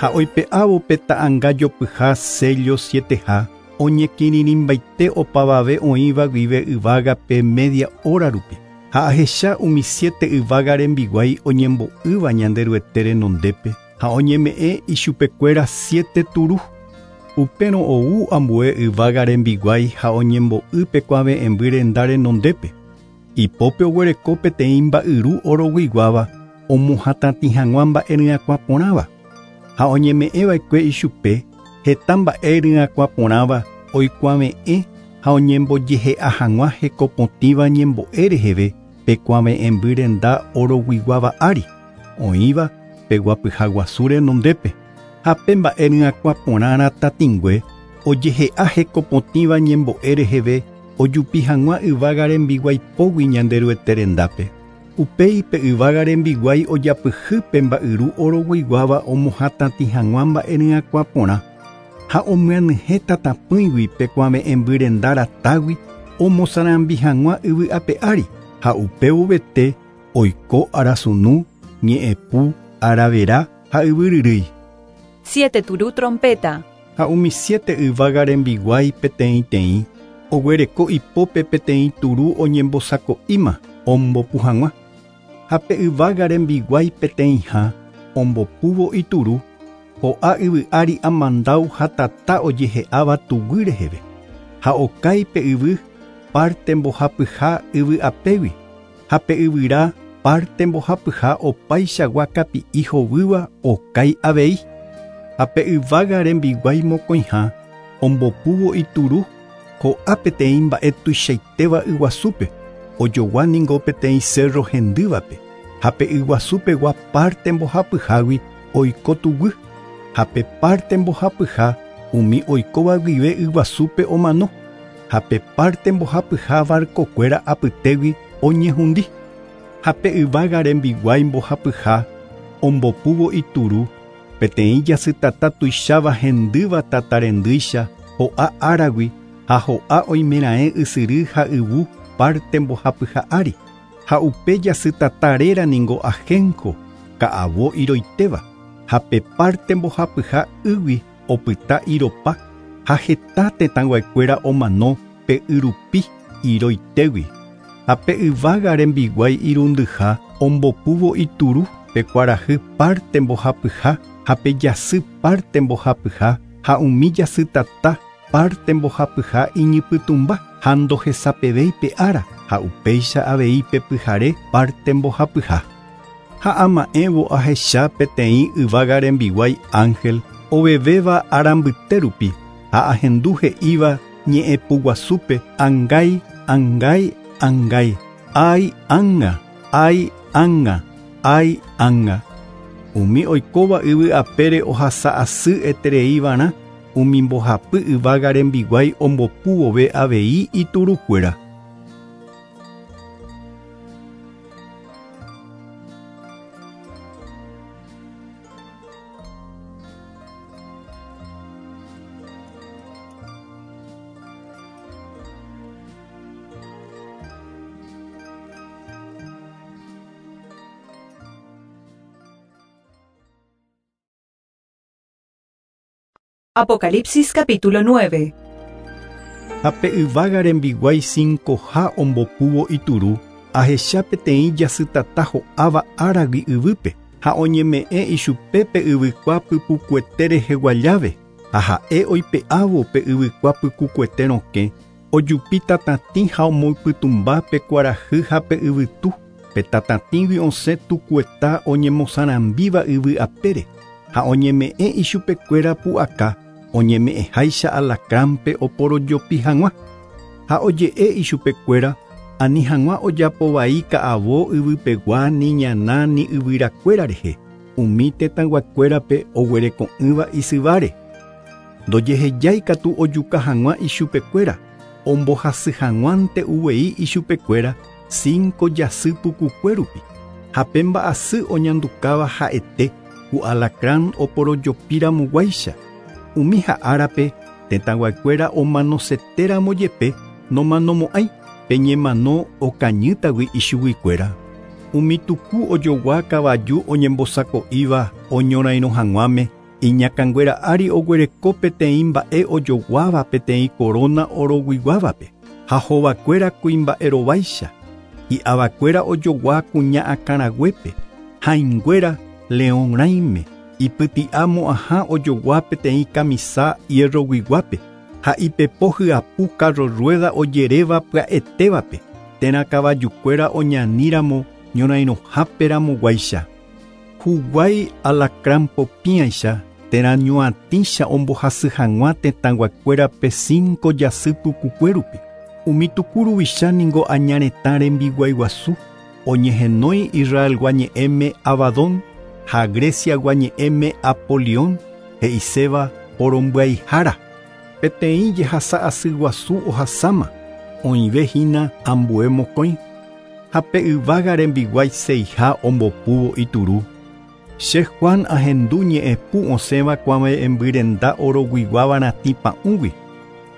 Ha oipe'ávo pe ta'ãnga jopyha sello siete ha oñekirirĩmbaite opavave oĩva guive yvágape media hora rupi ha ahecha umi siete yvága rembiguái oñembo'ýva Ñanderuete renondépe ha oñeme'ẽ ichupekuéra siete turu upérõ ou ambue yvága rembiguái ha oñembo'y pe kuave'ẽmby renda renondépe ipópe oguereko peteĩ mba'yru oroguiguáva omohatãtĩ hag̃ua mba'e ryakuã porãva ha oñeme'ẽva'ekue ichupe heta mba'e ryakuã porãva oikuave'ẽ ha oñembojehe'a hag̃ua hekopotĩva ñembo'e reheve pe kuave'ẽmby renda oroguiguáva ári oĩva pe guapyha guasu renondépe ha pe mba'e ryakuã porã ratatĩngue ojehe'a hekopotĩva ñembo'e reheve ojupi hag̃ua yvága rembiguái pógui Ñanderuete rendápe upéi pe yvága rembiguái ojapyhy pe mba'yru oroguiguáva omohatãtĩ hag̃ua mba'e ryakuã porã ha omyanyhẽ tatapỹigui pe kuave'ẽmby renda ratágui omosarambi hag̃ua yvy ape ári ha upévovete oiko arasunu ñe'ẽpu aravera ha yvyryrýi. Siete turu trompeta. Ha umi siete yvága rembiguái peteĩteĩ oguereko ipópe peteĩ turu oñembosako'íma ombopu hag̃ua ha pe yvága rembiguái peteĩha ombopúvo ituru ho'a yvy ári amandáu ha tata ojehe'áva tuguy reheve ha okái pe yvy parte mbohapyha yvy apégui ha pe yvyra parte mbohapyha opaichagua kapi'i hovýva okái avei ha pe yvága rembiguái mokõiha ombopúvo ituru ho'a peteĩ mba'e tuichaitéva yguasúpe ojogua ningo peteĩ cerro hendývape ha pe yguasupegua parte mbohapyhágui oiko tuguy ha pe parte mbohapyha umi oikóva guive yguasúpe omano ha pe parte mbohapyha barcokuéra apytégui oñehundi. Ha pe yvága rembiguái mbohapyha ombopúvo ituru peteĩ jasytata tuicháva hendýva tatarendýicha ho'a áragui ha ho'a oimeraẽ ysyry ha yvu parte mbohapyha ári ha upe jasytata réra ningo ajenjo ka'avo iroitéva ha pe parte mbohapyha ýgui opyta iropa ha heta tetãnguakuéra omano pe yrupi iroitégui ha pe yvága rembiguái irundyha ombopúvo ituru pe kuarahy parte mbohapyha ha pe jasy parte mbohapyha ha umi jasytata parte mbohapyha iñypytũmba ha ndohesapevéi pe ára ha upéicha avei pe pyhare parte mbohapyha. Ha ama'ẽvo ahecha peteĩ yvága rembiguái ángel ovevéva ára mbyte rupi ha ahendu he'íva ñe'ẽpuguasúpe angái, angái, angái, ái ánga, ái ánga, ái ánga. Umi oikóva yvy apére ohasa asy etereívarã umi mbohapy yvága rembiguái ombopúvove avei iturukuéra. Apocalipsis capítulo nueve. Ha pe yvága rembiguái cincoha ombopúvo ituru ahecha peteĩ jasytata ho'áva áragui yvýpe ha oñeme'ẽ ichupe pe yvykua pypukuete reheguajáve ha ha'e oipe'ávo pe yvykua pykukuete rokẽ ojupi tatatĩ ha omoypytũmba pe kuarahy ha pe yvytu pe tatatĩgui osẽ tukueta oñemosarambíva yvy apére ha oñeme'ẽ ichupekuéra pu'aka oñeme'ẽháicha alacránpe oporojopi hag̃ua ha oje'e ichupekuéra ani hag̃ua ojapovai ka'avo yvypegua ni ñana ni yvyrakuéra rehe umi tetãyguakuérape oguereko'ỹva isyváre ndojehejái katu ojuka hag̃ua ichupekuéra ombohasy hag̃uánte uvei ichupekuéra cinco jasy pukukue rupi ha pe mba'asy oñandukáva ha'ete ku alacrán oporojopíramoguáicha umi ha'árape tetãyguakuéra omanosetéramo jepe nomanomo'ãi pe ñemano okañýtagui ichuguikuéra umi tuku ojogua kavaju oñembosako'íva oñorairõ hag̃uáme iñakãnguéra ári oguereko peteĩ mba'e ojoguáva peteĩ corona oroguiguávape ha hovakuéra kuimba'erováicha hi'avakuéra ojogua kuña akãraguépe hãinguéra león rãime ipyti'a mo'ãha ojogua peteĩ kamisa hierroguiguápe ha ipepo hyapu carro rueda ojeréva pya'etévape térã kavajukuéra oñaníramo ñorairõháperamoguáicha huguái alacrán popĩaicha térã ñoatĩcha ombohasy hag̃ua tetãyguakuérape cinco jasy pukukue rupi umi tuku ruvicha ningo aña retã rembiguaiguasu oñehenói Israelgua ñe'ẽme Abadón ha Greciagua ñe'ẽme Apolión he'iséva porombyaihára peteĩ jehasa asy guasu ohasáma oĩve hína ambue mokõi ha pe yvága rembiguái seiha ombopúvo ituru che Juan ahendu ñe'ẽpu osẽva kuave'ẽmbyrenda oroguiguáva ratĩ pa'ũgui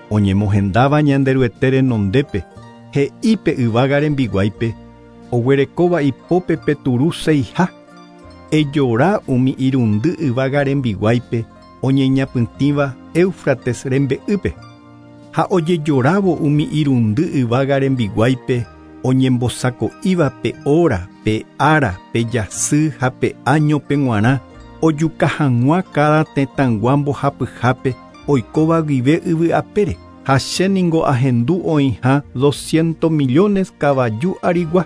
oñemohendáva Ñanderuete renondépe he'i pe yvága rembiguáipe oguerekóva ipópe pe turu seiha ejora umi irundy yvága rembiguáipe oñeñapytĩva Éufrates rembe'ýpe ha ojejorávo umi irundy yvága rembiguáipe oñembosako'íva pe hora, pe ára, pe jasy ha pe áñope g̃uarã ojuka hag̃ua cada tetãygua mbohapyhápe oikóva guive yvy apére ha che ningo ahendu oĩha doscientos millones kavaju arigua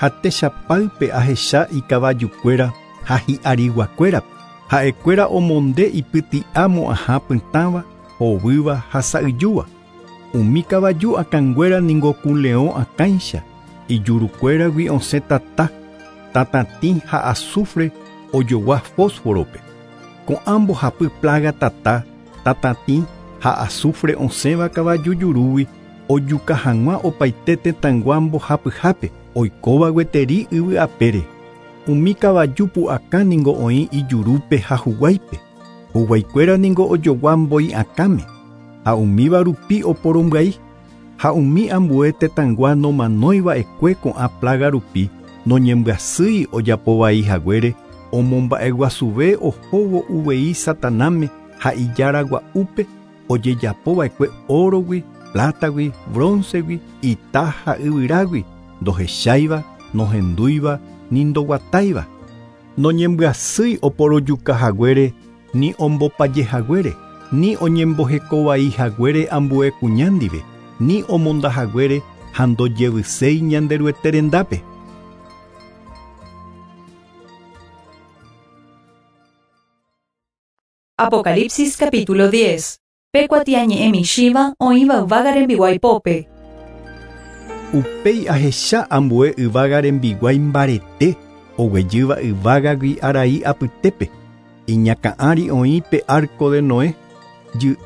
ha techapáype ahecha ikavajukuéra ha hi'ariguakuérape ha'ekuéra omonde ipyti'a mo'ãha pytãva hovýva ha sa'yjúva umi kavaju akãnguéra ningo ku leõ akãicha ijurukuéragui osẽ tata tatatĩ ha azufre ojogua fósforope ko'ã mbohapy plaga tata tatatĩ ha azufre osẽva kavaju jurúgui ojuka hag̃ua opaite tetãygua mbohapyhápe Oikóva gueteri yvy apére. Umi kavaju pu'aka ningo oĩ ijurúpe ha huguáipe. Huguaikuéra ningo ojogua mbói akãme. Ha umíva rupi oporombyai. Ha umi ambue tetãygua nomanóiva'ekue ko'ã plaga rupi noñembyasýi ojapovai haguére omomba'eguasuve ohóvo uvei Satanáme ha ijaragua'úpe ojejapova'ekue órogui, plátagui, broncegui, ita ha yvyrágui, ndohecháiva, nohendúiva, ni ndoguatáiva. Noñembyasýi oporojuka haguére, ni ombopaje haguére, ni oñembohekovai haguére ambue kuña ndive, ni omonda haguére ha ndojevyséi Ñanderuete rendápe. Apocalipsis capítulo diez. Pe kuatiañe'ẽ michĩva oĩva yvága rembiguái pópe. Upéi ahecha ambue yvága rembiguái mbarete oguejýva yvágagui arai apytépe. Iñakã'ári oĩ pe arco de Noé jy'y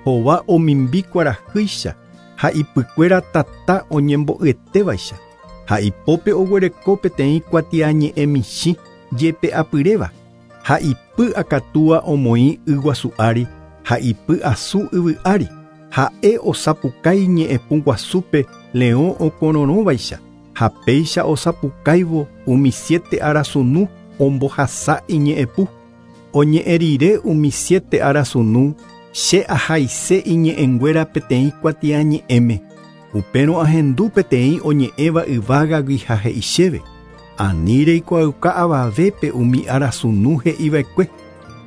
hova omimbi kuarahýicha ha ipykuéra tata oñembo'yetévaicha ha ipópe oguereko peteĩ kuatiañe'ẽ michĩ jepe'apyréva ha ipy akatúa omoĩ yguasu ári ha ipy asu yvy ári ha'e osapukái ñe'ẽpu guasúpe leõ okororõvaicha ha péicha osapukáivo umi siete arasunu ombohasa iñe'ẽpu. Oñe'ẽ rire umi siete arasunu che ahaise iñe'ẽnguéra peteĩ kuatiañe'ẽme. Upérõ ahendu peteĩ oñe'ẽva yvágagui ha he'i chéve. Ani reikuaauka avavépe umi arasunu he'iva'ekue.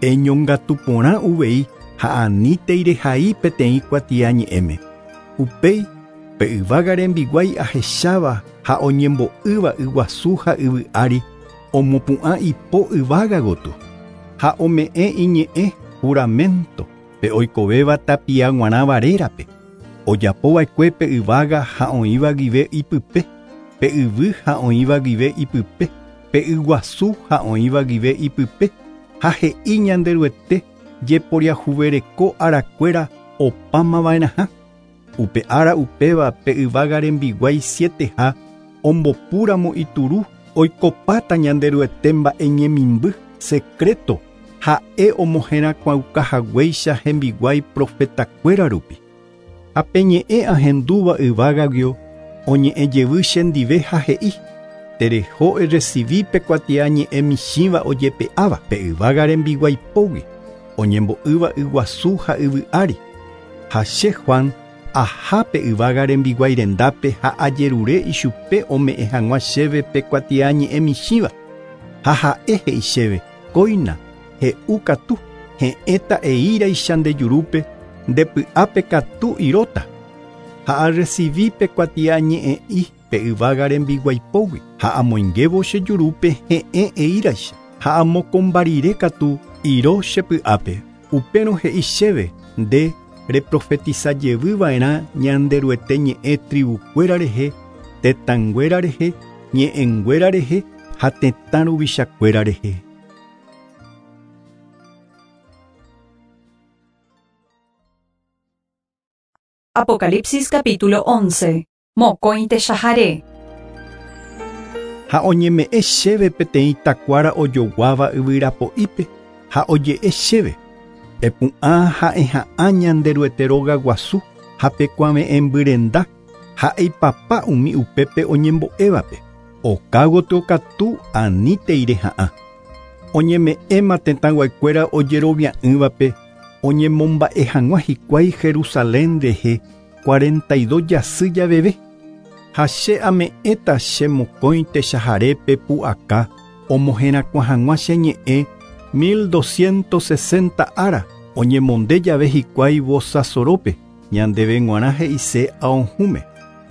Eñongatu porã uvei ha anítei rehai peteĩ kuatiañe'ẽme. Upéi pe yvága rembiguái ahecháva ha oñembo'ýva yguasu ha yvy ári omopu'ã ipo yvága gotyo ha ome'ẽ iñe'ẽ juramento pe oikovéva tapia g̃uarãva rérape. Ojapova'ekue pe yvága ha oĩva guive ipype, pe yvy ha oĩva guive ipype, pe yguasu ha oĩva guive ipype, ha he'i Ñanderuete jeporiahuvereko arakuéra opámava'erãha. Upe ára upéva pe yvága rembiguái sieteha ombopúramo ituru oikopáta Ñanderuete mba'e ñemimby secreto ha'e omoherakuãuka haguéicha hembiguái profetakuéra rupi. Ha pe ñe'ẽ ahendúva yvágaguio oñe'ẽ jevy chendive ha he'i: Tereho erecibi pe kuatiañe'ẽ michĩva ojepe'áva pe yvága rembiguái pógui oñembo'ýva yguasu ha yvy ári. Ha che Juan aha pe yvága rembiguái rendápe ha ajerure ichupe ome'ẽ hag̃ua chéve pe kuatiañe'ẽ michĩva. Ha ha'e he'i chéve: Kóina, he'u katu, he'ẽta eíraicha nde jurúpe, nde py'ápe katu iróta. Ha arrecibi pe kuatiañe'ẽ'i pe yvága rembiguái pógui ha amoingévo che jurúpe he'ẽ eíraicha ha amokombarire katu iro che py'ápe. Upérõ he'i chéve: Nde reprofetiza jevyva'erã Ñanderuete ñe'ẽ tribukuéra rehe, tetãnguéra rehe, ñe'ẽnguéra rehe ha tetã ruvichakuéra rehe. Apocalipsis capítulo once. Mokõi techahare. Ha oñeme'ẽ chéve peteĩ takuára ojoguáva yvyrapo'ípe ha oje'e chéve: Epu'ã ha eha'ã Ñanderuete róga guasu ha pe kuave'ẽmbyrenda ha eipapa umi upépe oñembo'évape. Oka gotyo katu anítei reha'ã. Oñeme'ẽma tetãyguakuéra ojerovia'ỹvape oñemomba'e hag̃ua hikuái Jerusalén rehe cuarenta y dos jasy javeve. Ha che ame'ẽta che mokõi techaharépe pu'aka omoherakuã hag̃ua che ñe'ẽ mil doscientos sesenta ára oñemonde jave hikuái vosasorópe ñandéve g̃uarã he'ise aohũme.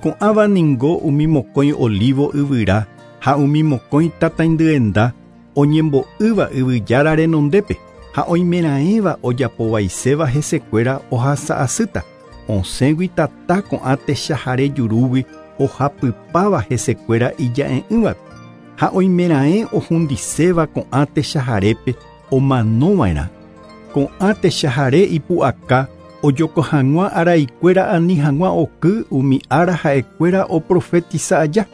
Ko'ãva ningo umi mokõi olivo yvyra ha umi mokõi tataindyenda oñembo'ýva yvyjára renondépe ha oimeraẽva ojapovaiséva hesekuéra ohasa'asýta. Osẽgui tata ko'ã techahare jurúgui ohapypáva hesekuéra ija'e'ỹvape ha oimeraẽ ohundiséva ko'ã techaharépe omanova'erã. Ko'ã techahare ipu'aka ojoko hag̃ua araikuéra ani hag̃ua oky umi ára ha'ekuéra oprofetiza aja.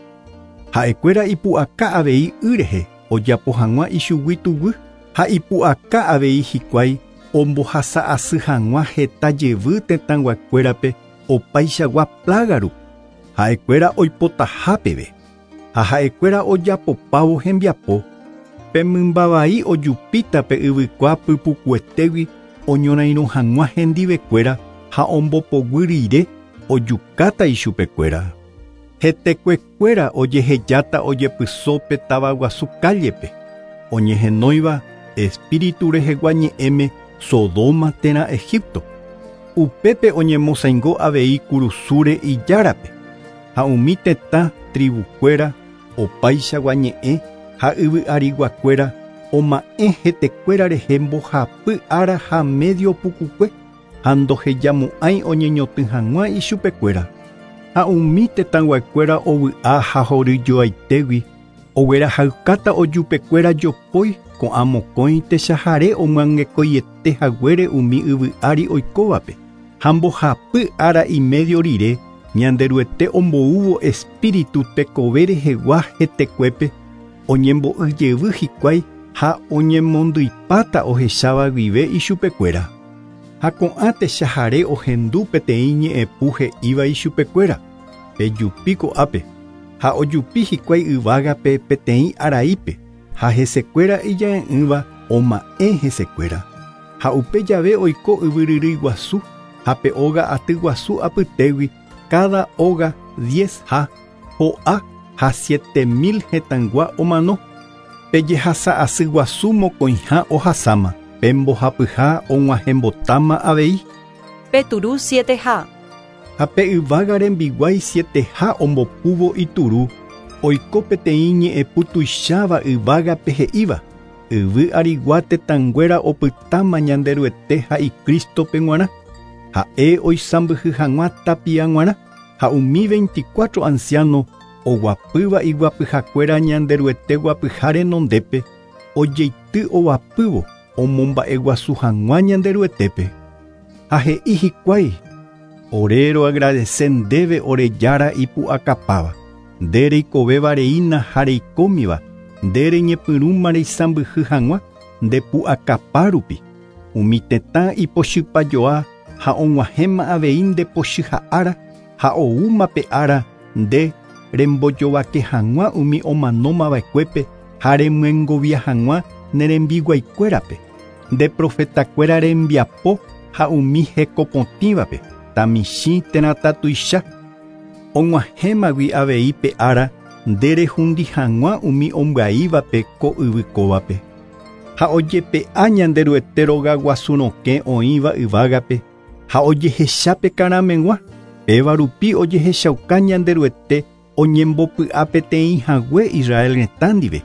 Ha'ekuéra ipu'aka avei y rehe ojapo hag̃ua ichugui tuguy ha ipu'aka avei hikuái ombohasa asy hag̃ua heta jevy tetãyguakuérape opaichagua plaga rupi. Ha'ekuéra oipotaha peve ha ha'ekuéra ojapopávo hembiapo pe mymbavai ojupíta pe yvykua pypukuetégui oñorairõ hag̃ua hendivekuéra ha ombopoguy rire ojukáta ichupekuéra. Hetekuekuéra ojehejáta ojepyso pe tavaguasu kállepe oñehenóiva espíritu rehegua ñe'ẽme Sodoma térã Egipto. Upépe oñemosaingo avei kurusúre ijárape ha umi tetã tribukuéra opaichagua ñe'ẽ ha yvy'ariguakuéra oma'ẽ hetekuéra rehe mbohapy ára ha medio pukukue ha ndohejamo'ãi oñeñotỹ hag̃ua ichupekuéra. Ha umi tetãyguakuéra ovy'a ha horyjoaitégui oguerahaykáta ojupekuéra jopói ko'ã mokõi techahare omyangekóiete haguére umi yvy'ári oikóvape ha mbohapy ára imedio rire Ñanderuete omboúvo espíritu tekove rehegua hetekuépe oñembo'yjevy hikuái ha oñemondyipáta ohecháva guive ichupekuéra. Ha ko'ã techahare ohendu peteĩ ñe'ẽpu he'íva ichupekuéra pejupi ko'ápe ha ojupi hikuái yvágape peteĩ araípe ha hesekuéra ija'e'ỹva oma'ẽ hesekuéra. Ha upe jave oiko yvyryrýi guasu ha pe óga aty guasu apytégui cada óga diez ha ho'a ha siete mil hetãygua omano. Pejehasa asy guasu mokõiha ohasáma pe mbohapyha og̃uahẽmbotáma avei. Pe turu siete ha. Ha pe yvága rembiguái siete ha ombopúvo ituru oiko peteĩ ñe'ẽpu tuicháva yvágape he'íva yvy arigua tetãnguéra opytáma Ñanderuete ha Icrístope g̃uarã ha'e oisãmbyhy hag̃ua tapia g̃uarã ha umi veinticuatro anciano oguapýva iguapyhakuéra Ñanderuete guapyha renondépe ojeity ovapývo omomba'eguasu hag̃ua Ñanderuetépe. Ha he'i hikuái ore roagradece ndéve ore jára ipu'akapáva nde reikovéva reína ha reikómiva nde reñepyrũma reisãmbyhy hag̃ua ndepu'akapa rupi umi tetã ipochypajoa ha og̃uahẽma avei ndepochyha ára ha oúma pe ára nde rembojovake hag̃ua umi omanómava'ekuépe ha remyengovia hag̃ua nerembiguaikuérape nde profetakuéra rembiapo ha umi hekopotĩvape tamichĩ térã tatuicha og̃uahẽmagui avei pe ára nde rehundi hag̃ua umi ombyaívape ko yvykóvape. Ha ojepe'a Ñanderuete rogaguasu rokẽ oĩva yvágape ha ojehechápe karameg̃ua péva rupi ojehechauka Ñanderuete oñembopy'a peteĩ hague Israel retã ndive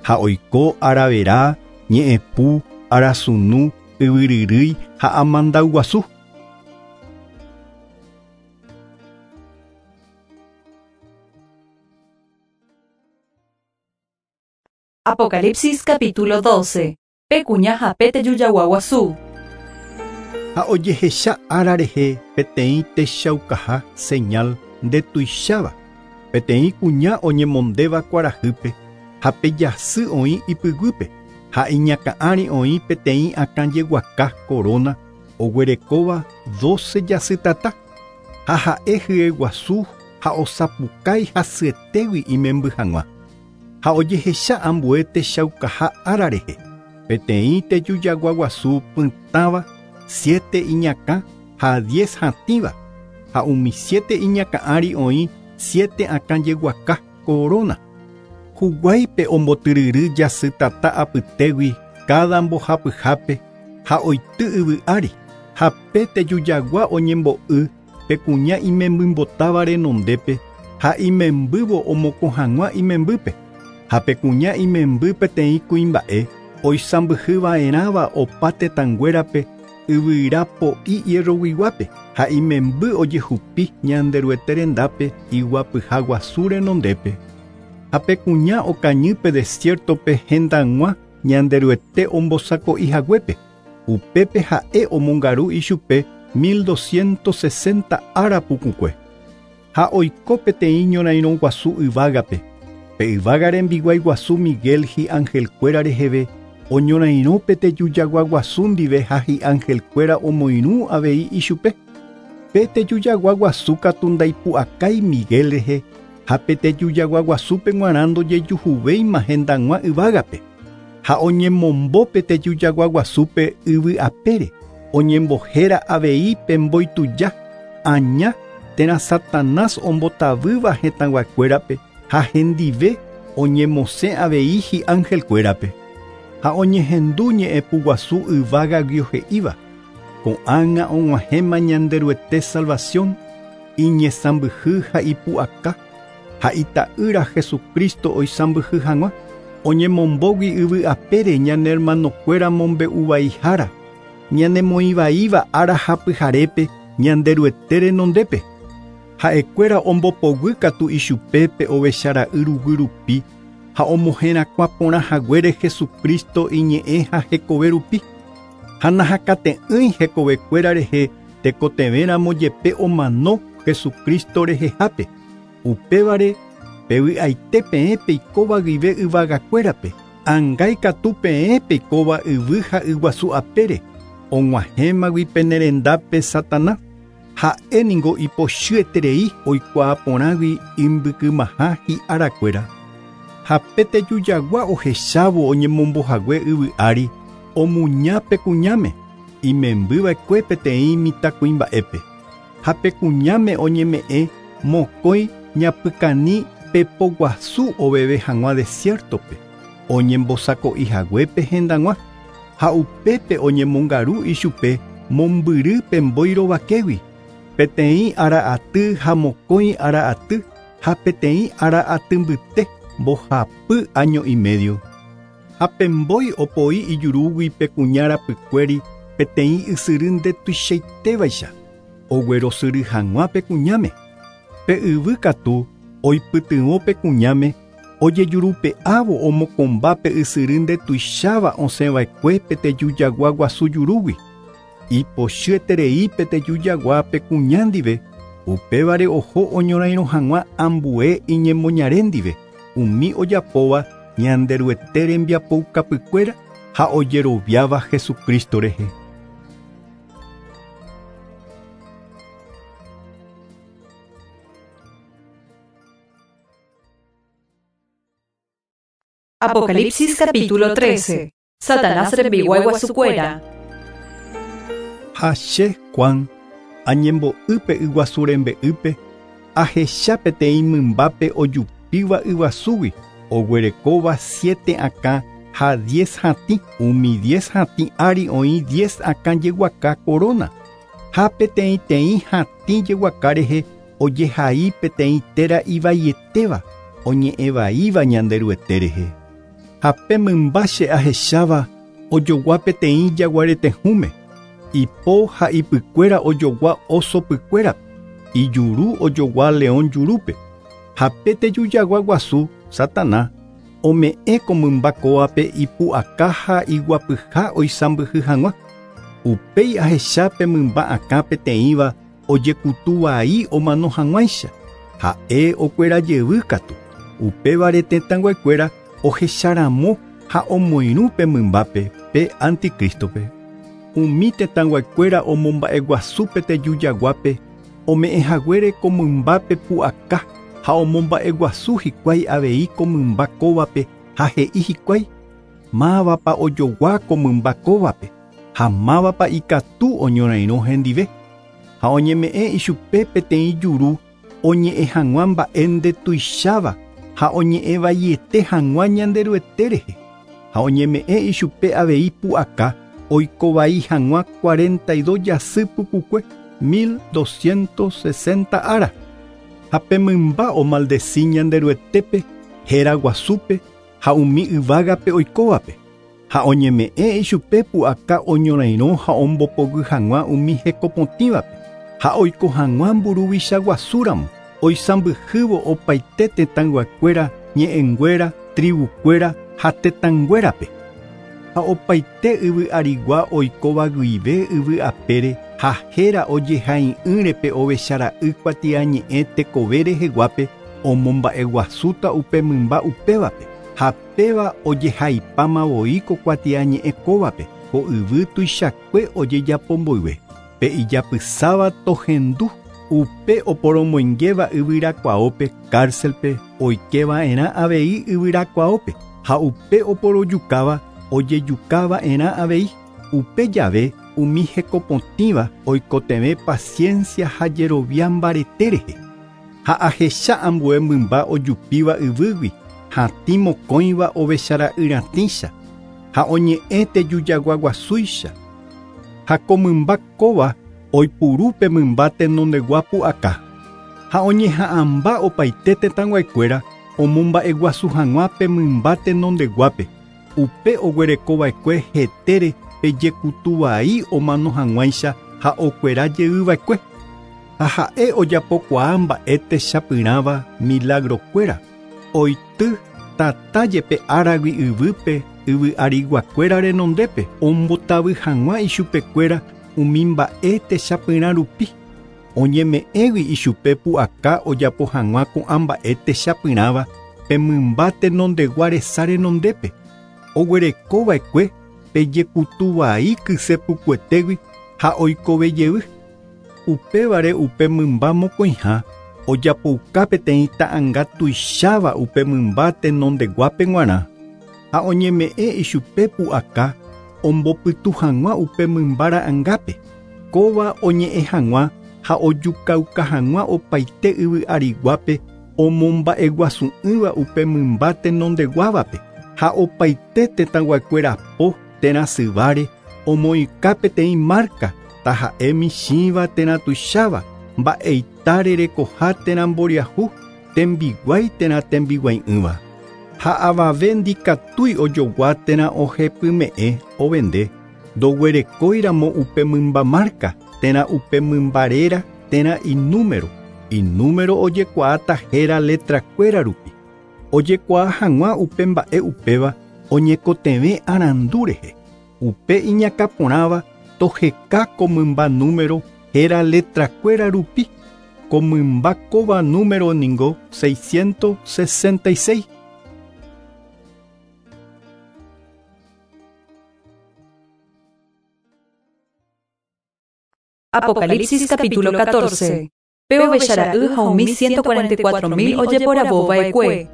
ha oiko aravera ñe'ẽpu arasunu yvyryrýi ha amandauguasu. Apocalipsis capítulo doce. Pe kuña ha pe tejujaguasu guasu. Ha ojehecha ára rehe peteĩ techaukaha señal ndetuicháva peteĩ kuña oñemondéva kuarahýpe ha pe jasy oĩ ipyguýpe ha iñakã'ári oĩ peteĩ akãjeguaka corona oguerekóva doce jasytata ha ha'e hyeguasu ha osapukái hasyetégui imemby hag̃ua. Ha ojehecha ambue techaukaha ára rehe peteĩ tejujagua guasu pytãva siete iñakã ha diez hatĩva ha umi siete iñakã'ári oĩ siete akãjeguaka corona. Huguáipe ombotyryry jasytata apytégui cada mbohapyhápe ha oity yvy'ári ha pe tejujagua oñembo'y pe kuña imembymbotáva renondépe ha imembývo omokõ hag̃ua imembýpe ha pe kuña imemby peteĩ kuimba'e oisãmbyhyva'erãva opa tetãnguérape yvyra po'i hierroguiguápe ha imemby ojehupi Ñanderuete rendápe iguapyha guasu renondépe. Ha pe kuña okañy pe desiertope hendag̃ua Ñanderuete ombosako'i haguépe upépe ha'e omongaru ichupe mil doscientos sesenta ára pukukue. Ha oiko peteĩ ñorairõ guasu yvágape Pe yvága rembiguái guasu Miguel hi'angelkuéra reheve oñorairõ pe tejujagua guasu ndive ha hi'angelkuéra omoirũ avei ichupe. Pe tejujagua guasu katu ndaipu'akái Miguel rehe ha pe tejujagua guasúpe g̃uarã ndojejuhuvéima hendag̃ua yvágape. Ha oñemombo pe tejujagua guasúpe yvy apére oñembohéra avei pe mboituja aña térã Satanás ombotavýva hetãguakuérape ha hendive oñemosẽ avei hi'angelkuérape. Ha oñehendu ñe'ẽpuguasu yvágagui he'íva ko'ág̃a og̃uahẽma Ñanderuete salvación iñesãmbyhy ha ipu'aka ha ita'ýra Jesucristo oisãmbyhy hag̃ua oñemombógui yvy apére ñane hermanokuéra mombe'uvaihára ñanemoĩvaíva ára ha pyharépe Ñanderuete renondépe. Ha'ekuéra ombopoguy katu ichupe pe ovechara'y ruguy rupi ha omoherakuã porã haguére Jesucristo iñe'ẽ ha hekove rupi. Ha nahakate'ỹi hekovekuéra rehe tekotevẽramo jepe omano Jesucristo rehehápe. Upévare pevy'aite peẽ peikóva guive yvagakuérape angái katu peẽ peikóva yvy ha yguasu apére og̃uahẽmagui penerendápe Satanás. Ha'e ningo ipochyeterei oikuaa porãgui imbykymaha hi'arakuéra. Ha pe tejujagua ohechávo oñemombohague yvy ári omuña pe kuñáme imembyva'ekue peteĩ mitãkuimba'épe. Ha pe kuñáme oñeme'ẽ mokõi ñapykani pepoguasu oveve hag̃ua desiertope oñembosako'i haguépe hendag̃ua ha upépe oñemongaru ichupe mombyry pe mbói rovakégui peteĩ ára aty ha mokõi ára aty ha peteĩ ára aty mbyte mbohapy año y medio. Ha pe mbói opoi ijurúgui pe kuña rapykuéri peteĩ ysyry ndetuichaitévaicha oguerosyry hag̃ua pe kuñáme. Pe yvy katu oipytyvõ pe kuñáme ojejurupe'ávo omokomba pe ysyry ndetuicháva osẽva'ekue pe tejujagua guasu jurúgui. Ipochyeterei pe tejujagua pe kuña ndive upévare oho oñorairõ hag̃ua ambue iñemoñare ndive umi ojapóva Ñanderuete rembiapoukapykuéra ha ojeroviáva Jesucristo rehe. Apocalipsis capítulo trece. Satanás rembiguái guasukuéra. Ha che Juan añembo'ýpe yguasu rembe'ýpe ahecha peteĩ mymbápe ojupíva yguasúgui oguerekóva siete akã ha diez hatĩ umi diez hatĩ ári oĩ diez akã jeguaka corona ha peteĩteĩ hatĩ jeguaka rehe ojehai peteĩ téra ivaietéva oñe'ẽvaíva Ñanderuete rehe. Ha pe mymba che ahecháva ojogua peteĩ jaguaretehũme ipo ha ipykuéra ojogua oso pykuérape ijuru ojogua león jurúpe. Ha pe tejujagua guasu Satanás ome'ẽ ko mymba kóvape ipu'aka ha iguapyha oisãmbyhy hag̃ua. Upéi ahecha pe mymba akã peteĩva ojekutuvai omano hag̃uáicha ha'e okuera jevy katu. Upévare tetãnguekuéra ohecharamo ha omoirũ pe mymbápe pe anticristope. Umi tetãnguekuéra omomba'eguasu pe tejujaguápe ome'ẽ haguére ko mymbápe pu'aka ha omomba'eguasu hikuái avei ko mymba kóvape ha he'i hikuái mávapa ojogua ko mymba kóvape ha mávapa ikatu oñorairõ hendive. Ha oñeme'ẽ ichupe peteĩ juru oñe'ẽ hag̃ua mba'e ndetuicháva ha oñe'ẽvaiete hag̃ua Ñanderuete rehe. Ha oñeme'ẽ ichupe avei pu'aka oikovai hag̃ua cuarenta y dos jasy pukukue mil doscientos sesenta ára. Ha pe mymba omaldeci Ñanderuetépe héra guasúpe ha umi yvágape oikóvape. Ha oñeme'ẽ ichupe pu'aka oñorairõ ha ombopoguy hag̃ua umi hekopotĩvape ha oiko hag̃ua mburuvicha guasúramo oisãmbyhývo opaite tetãyguakuéra ñe'ẽnguéra tribukuéra ha tetãnguérape. Ha opaite yvy arigua oikóva guive yvy apére ha héra ojehai'ỹre pe ovechara'y kuatiañe'ẽ tekove reheguápe Omomba'eguasúta upe mymba upévape ha péva ojehaipáma voi ko kuatiañe'ẽ kóvape ko yvy tuichakue ojejapomboyve pe ijapysáva tohendu upe oporomoingéva yvyrakuaópe cárcelpe oikeva'erã avei yvyrakuaópe ha upe oporojukáva ojejukava'erã avei upe jave umi hekopotĩva oikotevẽ paciencia ha jerovia mbarete rehe ha ahecha ambue mymba ojupíva yvýgui hatĩ mokõiva ovechara'yratĩcha ha oñe'ẽ tejujaguaguasúicha ha ko mymba kóva oipuru pe mymba tenondegua pu'aka ha oñeha'ãmba opaite tetãguaikuéra omomba'eguasu hag̃ua pe mymba tenondeguápe upe oguerekova'ekue hetére pejekutuvai omano hag̃uáicha ha okuera jeyva'ekue ha ha'e ojapokuaa mba'e techapyrãva milagrokuéra oity tata jepe áragui yvýpe yvy'ariguakuéra renondépe ombotavy hag̃ua ichupekuéra umi mba'e techapyrã rupi oñeme'ẽgui ichupe pu'aka ojapo hag̃ua ko'ã mba'e techapyrãva pe mymba tenondegua resa renondépe oguerekova'ekue pejekutuvai kysepukuetégui ha oikovejey upévare upe mymba mokõiha ojapouka peteĩ ta'ãnga tuicháva upe mymba tenondeguápe g̃uarã ha oñeme'ẽ ichupe pu'aka ombopytu hag̃ua upe mymba ra'ãngápe kóva oñe'ẽ hag̃ua ha ojukauka hag̃ua opaite yvy'ariguápe omomba'eguasu'ỹva upe mymba tenondeguávape ha opaite tetãguakuéra po térã syváre omoĩka peteĩ marca taha'e michĩva térã tuicháva mba'eitáre rekoha térã mboriahu tembiguái térã tembiguai'ỹva ha avave ndikatúi ojogua térã ohepyme'ẽ ovende ndoguerekóiramo upe mymba marca térã upe mymba réra térã inúmero inúmero ojekuaáta héra letrakuéra rupi ojekuaa hag̃ua upe mba'e upéva oñekotevẽ arandu rehe upe iñakãporãva toheka ko mymba número héra letrakuéra rupi ko mymba kóva número ningo seiscientos sesenta y seis. Apocalipsis capítulo catorce. Pe ovechara'y ha umi ciento cuarenta y cuatro mil ojeporavova'ekue.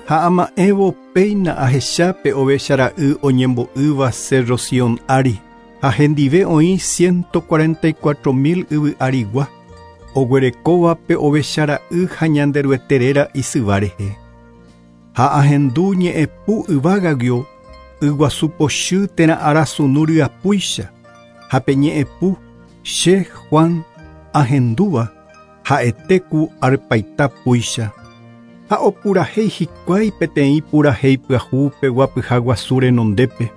Ha ama'ẽvo péina ahecha pe ovechara'y oñembo'ýva Cerro Sion ári ha hendive oĩ ciento cuarenta y cuatro mil yvy'arigua oguerekóva pe ovechara'y ha Ñanderuete réra isyva rehe. Ha ahendu ñe'ẽpu yvágagio yguasu pochy térã arasunu ryapúicha ha pe ñe'ẽpu che Juan ahendúva ha'ete ku arpaita púicha ha opurahéi hikuái peteĩ purahéi pyahu pe guapyha guasu renondépe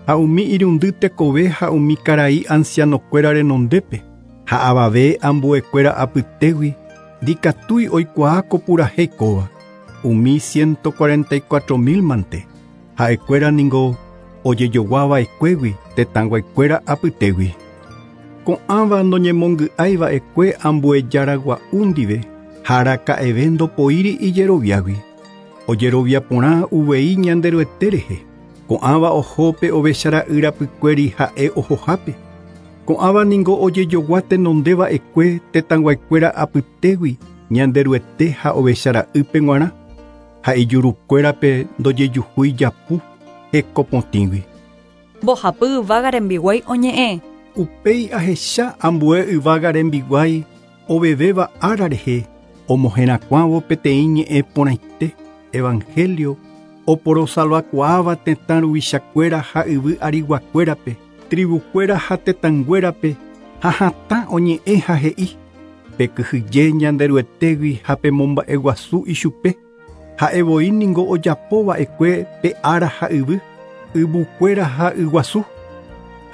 ha umi irundy tekove ha umi karai ancianokuéra renondépe ha avave ambuekuéra apytégui ndikatúi oikuaa ko purahéi kóva umi ciento cuarenta y cuatro mil mante ha'ekuéra ningo ojejoguava'ekuégui tetãguaikuéra apytégui ko'ãva noñemongy'aiva'ekue ambuejaragua'u ndive ha araka'eve ndopoíri ijeroviágui ojerovia porã uvei Ñanderuete rehe ko'ãva oho pe ovechara'y rapykuéri ha'e ohohápe ko'ãva ningo ojejogua tenondeva'ekue tetãguaikuéra apytégui Ñanderuete ha ovechara'ýpe g̃uarã ha ijurukuérape ndojejuhúi japu hekopotĩgui. Mbohapy yvága rembiguái oñe'ẽ. Upéi ahecha ambue yvága rembiguái ovevéva ára rehe omoherakuãvo peteĩ ñe'ẽ porãite evangelio oporosalvakuaáva tetã ruvichakuéra ha yvy ariguakuérape tribukuéra ha tetãnguérape ha hatã oñe'ẽ ha he'i pekyhyje Ñanderuetégui ha pemomba'eguasu ichupe ha'evoi ningo ojapova'ekue pe ára ha yvy yvukuéra ha yguasu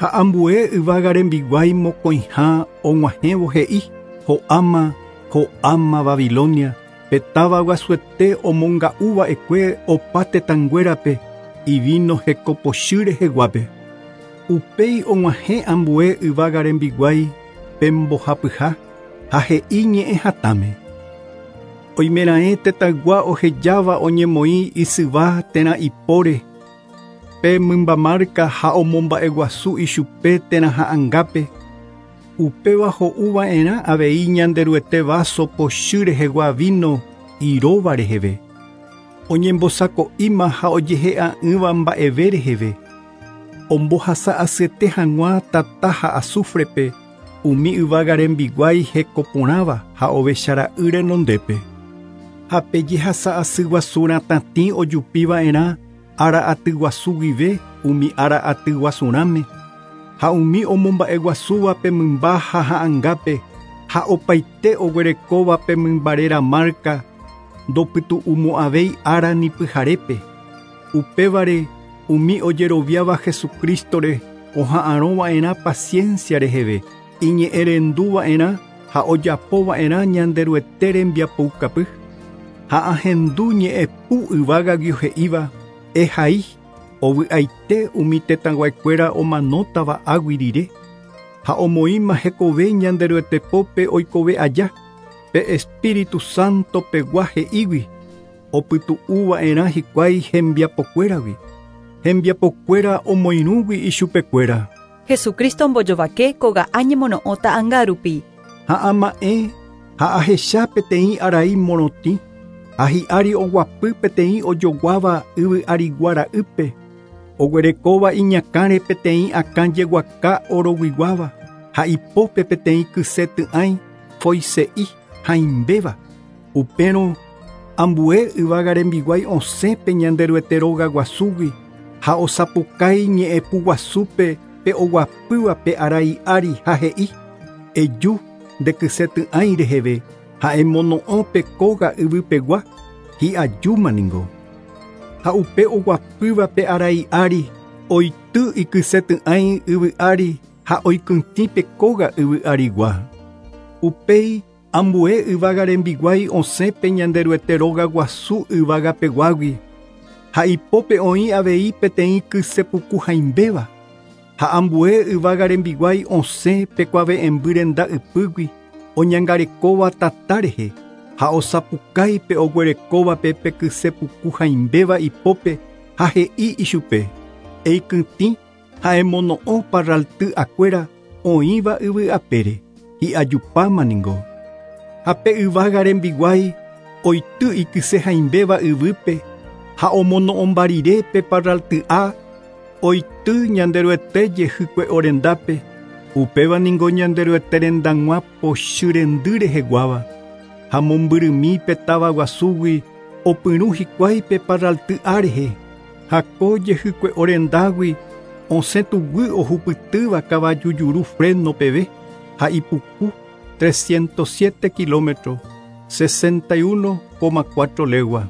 ha ambue yvága rembiguái mokõiha og̃uahẽvo he'i ho'áma ho'áma Babilonia pe táva guasuete omonga'uva'ekue opa tetãnguérape ivino hekopochy reheguápe upéi og̃uahẽ ambue yvága rembiguái pembohapyha ha he'i ñe'ẽ hatãme. Oimeraẽ tetaygua ohejáva oñemoĩ isyva térã ipóre pe mymba marca ha omomba'eguasu ichupe térã ha'angápe. Upéva ho'uva'erã avei Ñanderuete vaso pochy rehegua vino iróva reheve. Oñembosako'íma ha ojehe'a'ỹva mba'eve reheve. Ombohasa asyete hag̃ua tata ha azufrepe umi yvága rembiguái hekoporãva ha ovechara'y renondépe. Ha pe jehasa asy guasu ratatĩ ojupiva'erã ára aty guasu guive umi ára aty guasurãme. Ha umi omomba'eguasúva pe mymba ha ha'angápe ha opaite oguerekóva pe mymba réra marca ndopytu'umo'ãvéi ára ni pyharépe. Upévare umi ojeroviáva Jesucristore oha'arõva'erã paciencia reheve, iñe'ẽrenduva'erã ha ojapova'erã Ñanderuete rembiapoukapy. Ha ahendu ñe'ẽpu yvágagui he'íva ehai ovy'aite umi tetãguaikuéra omanótava águi rire ha omoĩma hekove Ñanderuete pópe oikove aja pe Espíritu Santo pegua he'ígui opytu'uva'erã hikuái hembiapokuéragui hembiapokuéra omoirũgui ichupekuéra. Jesucristo ombojovake kóga añemono'õta ta'angárupi. Ha ama'ẽ ha ahecha peteĩ arai morotĩ ha hi'ári oguapy peteĩ ojoguáva yvy arigua ra'ýpe oguerekóva iñakãre peteĩ akã jeguaka oroguiguáva ha ipópe peteĩ kyse ty'ãi foise'i hãimbéva. Upérõ ambue yvága rembiguái osẽ pe Ñanderuete róga guasúgui ha osapukái ñe'ẽpu guasúpe pe oguapýva pe arai ári ha he'i eju nde kyse ty'ãi reheve ha emono'õ pe kóga yvypegua hi'ajúma ningo. Ha upe oguapýva pe arai ári oity ikyse ty'ãi yvy ári ha oikytĩ pe kóga yvy arigua. Upéi ambue yvága rembiguái osẽ pe Ñanderuete róga guasu yvágapeguágui ha ipópe oĩ avei peteĩ kyse puku hãimbéva. Ha ambue yvága rembiguái osẽ pe kuave'ẽmby renda ypýgui oñangarekóva tata rehe ha osapukái pe oguerekóvape pe kyse puku hãimbéva ipópe ha he'i ichupe eikytĩ ha emono'õ parralty akuéra oĩva yvy apére hi'ajupáma ningo. Ha pe yvága rembiguái oity ikyse hãimbéva yvýpe ha omono'õmba rire pe parralty'a oity Ñanderuete jehykue'o rendápe. Upéva ningo Ñanderuete rendag̃ua pochy rendy reheguáva. Ha mombyrymi pe táva guasúgui opyrũ hikuái pe parralty'a rehe. Ha ko jehykue'o rendágui osẽ tuguy ohupytýva kavaju juru freno peve ha ipuku trescientos siete kilómetros, sesenta y uno coma cuatro legua.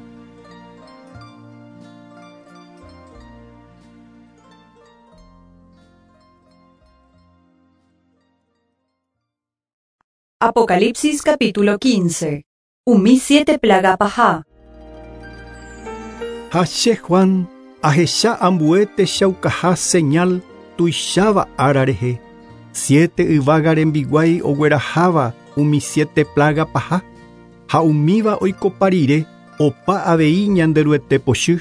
Apocalipsis capítulo quince. Umi siete plaga paha. Ha che Juan ahecha ambue techaukaha señal tuicháva ára rehe. Siete yvága rembiguái ogueraháva umi siete plaga paha ha umíva oikopa rire opa avei Ñanderuete pochy.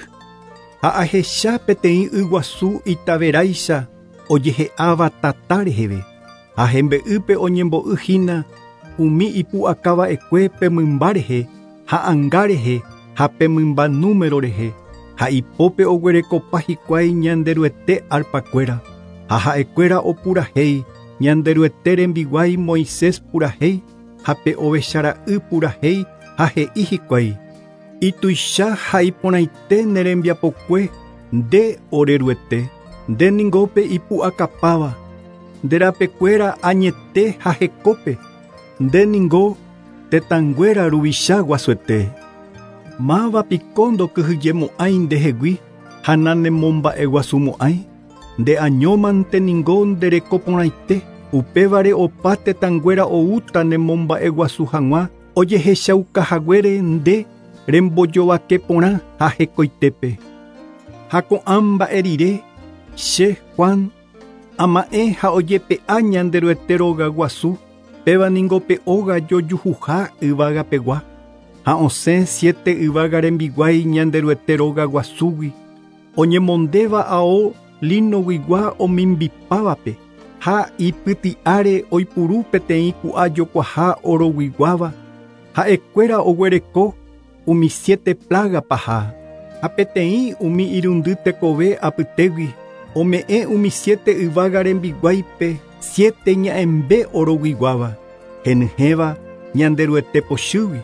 Ha ahecha peteĩ yguasu itaveráicha ojehe'áva tata reheve. Ha hembe'ýpe oñembo'y hína umi ipu'akava'ekue pe mymba rehe ha anga rehe ha pe mymba número rehe ha ipópe oguerekopa hikuái Ñanderuete arpakuéra ha ha'ekuéra opurahéi Ñanderuete rembiguái Moisés purahéi ha pe ovechara'y purahéi ha he'i hikuái ituicha ha iporãite ne rembiapokue nde oreruete nde ningo pe ipu'akapáva nde rapekuéra añete ha hekópe nde ningo tetãnguéra ruvicha guasuete. Máva piko ndokyhyjemo'ãi ndehegui ha nanemomba'eguasumo'ãi nde añómante ningo nderekoporãite upévare opa tetãnguéra oúta nemomba'eguasu hag̃ua ojehechaukahaguére nde rembojovake porã ha hekoitépe. Ha ko'ã mba'e rire che Juan ama'ẽ ha ojepe'a Ñanderuete róga guasu péva ningo pe óga jojuhuha yvágapegua Ha osẽ siete yvága rembiguái Ñanderuete róga guasúgui, oñemondéva ao linoguigua omimbipávape, ha ipyti'áre oipuru peteĩ ku'a jokuaha oroguiguáva, ha'ekuéra oguereko umi siete plaga paha, ha peteĩ umi irundy tekove apytégui, ome'ẽ umi siete yvága rembiguáipe siete ña'ẽmbe oroguiguáva, henyhẽva Ñanderuete pochýgui,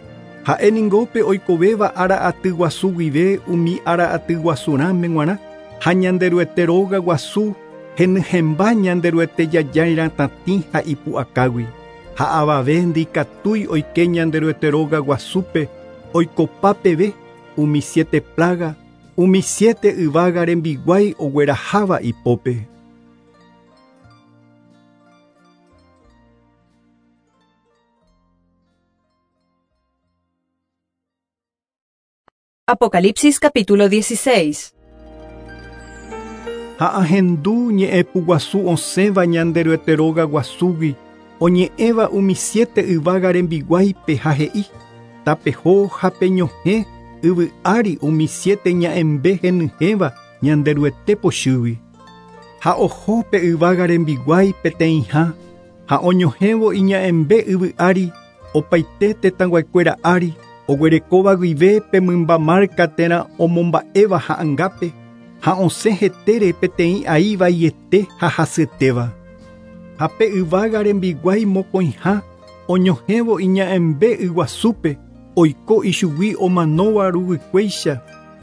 ha'e ningópe oikovéva ára aty guasu guive umi ára aty guasurãme g̃uarã, ha Ñanderuete róga guasu henyhẽmba Ñanderuete jajái ha ipu'akágui, ha avave ndikatúi oike Ñanderuete róga guasúpe oikopa peve umi siete plaga, umi siete yvága rembiguái ogueraháva ipópe. Apocalipsis capítulo dieciséis. Ha ahendu ñe'ẽpu guasu osẽva Ñanderuete róga guasúgui, oñe'ẽva umi siete yvága rembiguáipe ha he'i, tapeho ha peñohẽ yvy ári umi siete ña'ẽmbe henyhẽva Ñanderuete pochýgui. Ha oho pe yvága rembiguái peteĩha, ha oñohẽvo iña'ẽmbe yvy ári, opaite tetãguaikuéra ári, oguerekóva guive pe mymba marca térã omomba'éva ha'angápe, ha osẽ hetére peteĩ ai vaiete ha hasyetéva. Ha pe yvága rembiguái mokõiha, oñohẽvo iña'ẽmbe yguasúpe, oiko ichugui omanóva ruguykuéicha,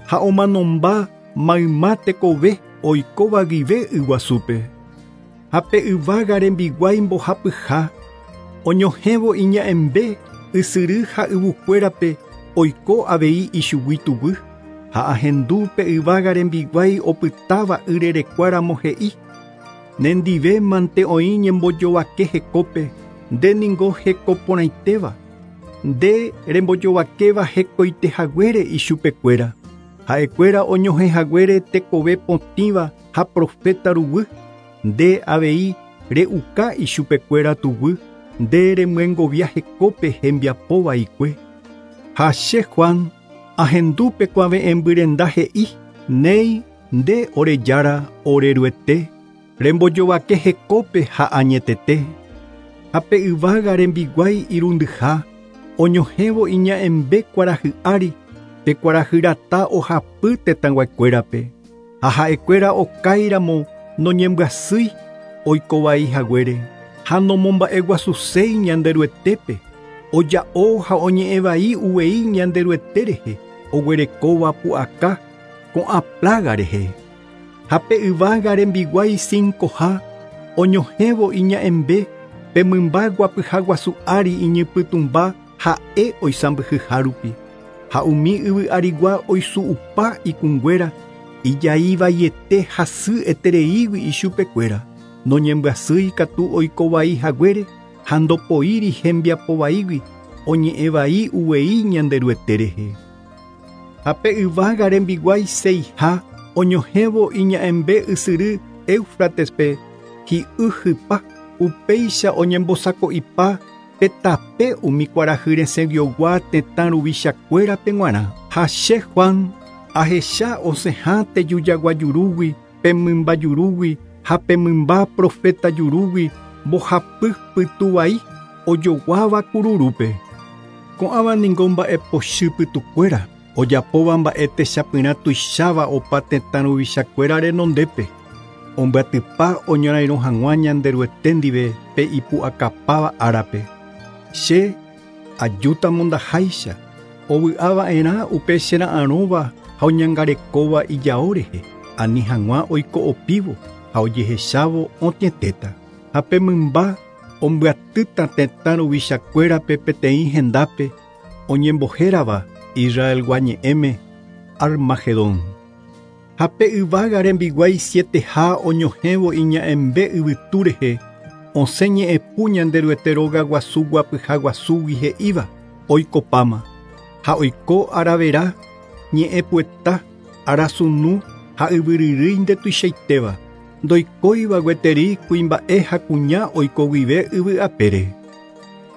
ha omanomba mayma tekove oikóva guive yguasúpe. Ha pe yvága rembiguái mbohapyha, oñohẽvo iña'ẽmbe ysyry ha yvukuérape oiko avei ichugui tuguy, ha ahendu pe yvága rembiguái opytáva yrerekuáramo he'i, nendive mante oĩ ñembojovake hekópe, nde ningo hekoporãitéva, nde rembojovakéva hekoitehaguére ichupekuéra, ha'ekuéra oñohẽhaguére tekove potĩva ha profeta ruguy, nde avei re'uka ichupekuéra tuguy, nde remyengovia hekópe hembiapovaikue. Ha che Juan, ahendu pe kuave'ẽmbyrenda he'i, néi nde ore Jára oreruete, rembojovake hekópe ha añetete. Ha pe yvága rembiguái irundyha, oñohẽvo iña'ẽmbe kuarahy ári, pe kuarahy rata ohapy tetãguaikuérape, ha ha'ekuéra okáiramo noñembyasýi oikovai haguére, ha nomomba'eguasuséi Ñanderuetépe, oja'o ha oñe'ẽvai uvei Ñanderuete rehe, oguerekóva pu'aka ko'ã plaga rehe. Ha pe yvága rembiguái cincoha, oñohẽvo iña'ẽmbe pe mymba guapyha guasu ári iñypytũmba ha'e oisãmbyhyha rupi, ha umi yvy arigua oisu'upa ikũnguéra, ijaivaiete hasy etereígui ichupekuéra, noñembyasýi katu oikovai haguére ha ndopoíri hembiapovaígui oñe'ẽvai uvei Ñanderuete rehe. Ha pe yvága rembiguái seiha oñohẽvo iña'ẽmbe ysyry Éufratespe hi'y hypa, upéicha oñembosako'ipa pe tape umi kuarahy resẽguiogua tetã ruvichakuérape g̃uarã. Ha che Juan ahecha osẽha tejujagua jurúgui, pe mymba jurúgui ha pe mymba profeta jurúgui mbohapy pytuvai ojoguáva kururúpe. Ko'ãva ningo mba'epochy pytukuéra, ojapóva mba'e techapyrã tuicháva opa tetã ruvichakuéra renondépe, ombyatypa oñorairõ hag̃ua Ñanderuete ndive pe ipu'akapáva árape. Che ajúta mondaháicha, ovy'ava'erã upe chera'arõva ha oñangarekóva ijao rehe, ani hag̃ua oiko'opívo ha ojehechávo otĩetéta. Ha pe mymba ombyatýta tetã ruvichakuérape peteĩ hendápe oñembohérava Israelgua ñe'ẽme Armagedón. Ha pe yvága rembiguái sieteha oñohẽvo iña'ẽmbe yvytu rehe, osẽ ñe'ẽpu Ñanderuete róga guasu guapyha guasúgui he'íva oikopáma, ha oiko aravera ñe'ẽpueta, arasunu ha yvyryrýi ndetuichaitéva, ndoikóiva gueteri kuimba'e ha kuña oiko guive yvy apére.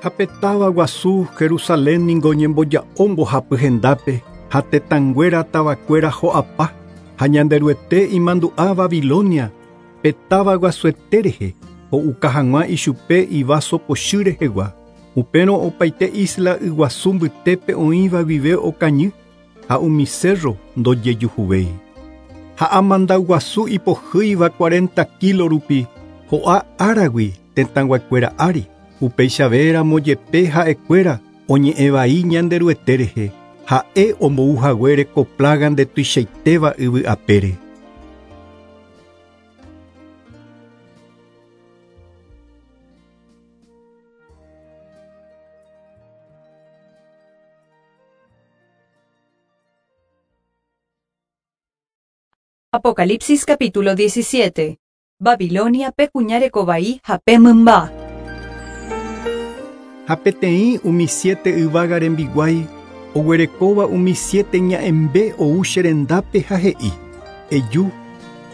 Ha pe táva guasu Jerusalén ningo ñemboja'o mbohapy hendápe ha tetãnguéra tavakuéra ho'apa ha Ñanderuete imandu'a Babilonia pe táva guasuete rehe ho'uka hag̃ua ichupe ivaso pochy rehegua. Upérõ opaite isla yguasu mbytépe oĩva guive okañy ha umi cerro ndojejuhuvéi. Ha amandaguasu ipohýiva cuarenta kilo rupi ho'a áragui tetãnguakuéra ári. Upeichavéramo jepe ha'ekuéra oñe'ẽvai Ñanderuete rehe ha'e ombouhaguére ko plaga ndetuichaitéva yvy apére. Apocalipsis capítulo diecisiete. Babilonia pe kuña rekovai ha pe mymba. Ha peteĩ umi siete yvága rembiguái oguerekóva umi siete ña'ẽmbe ou che rendápe ha he'i: Eju,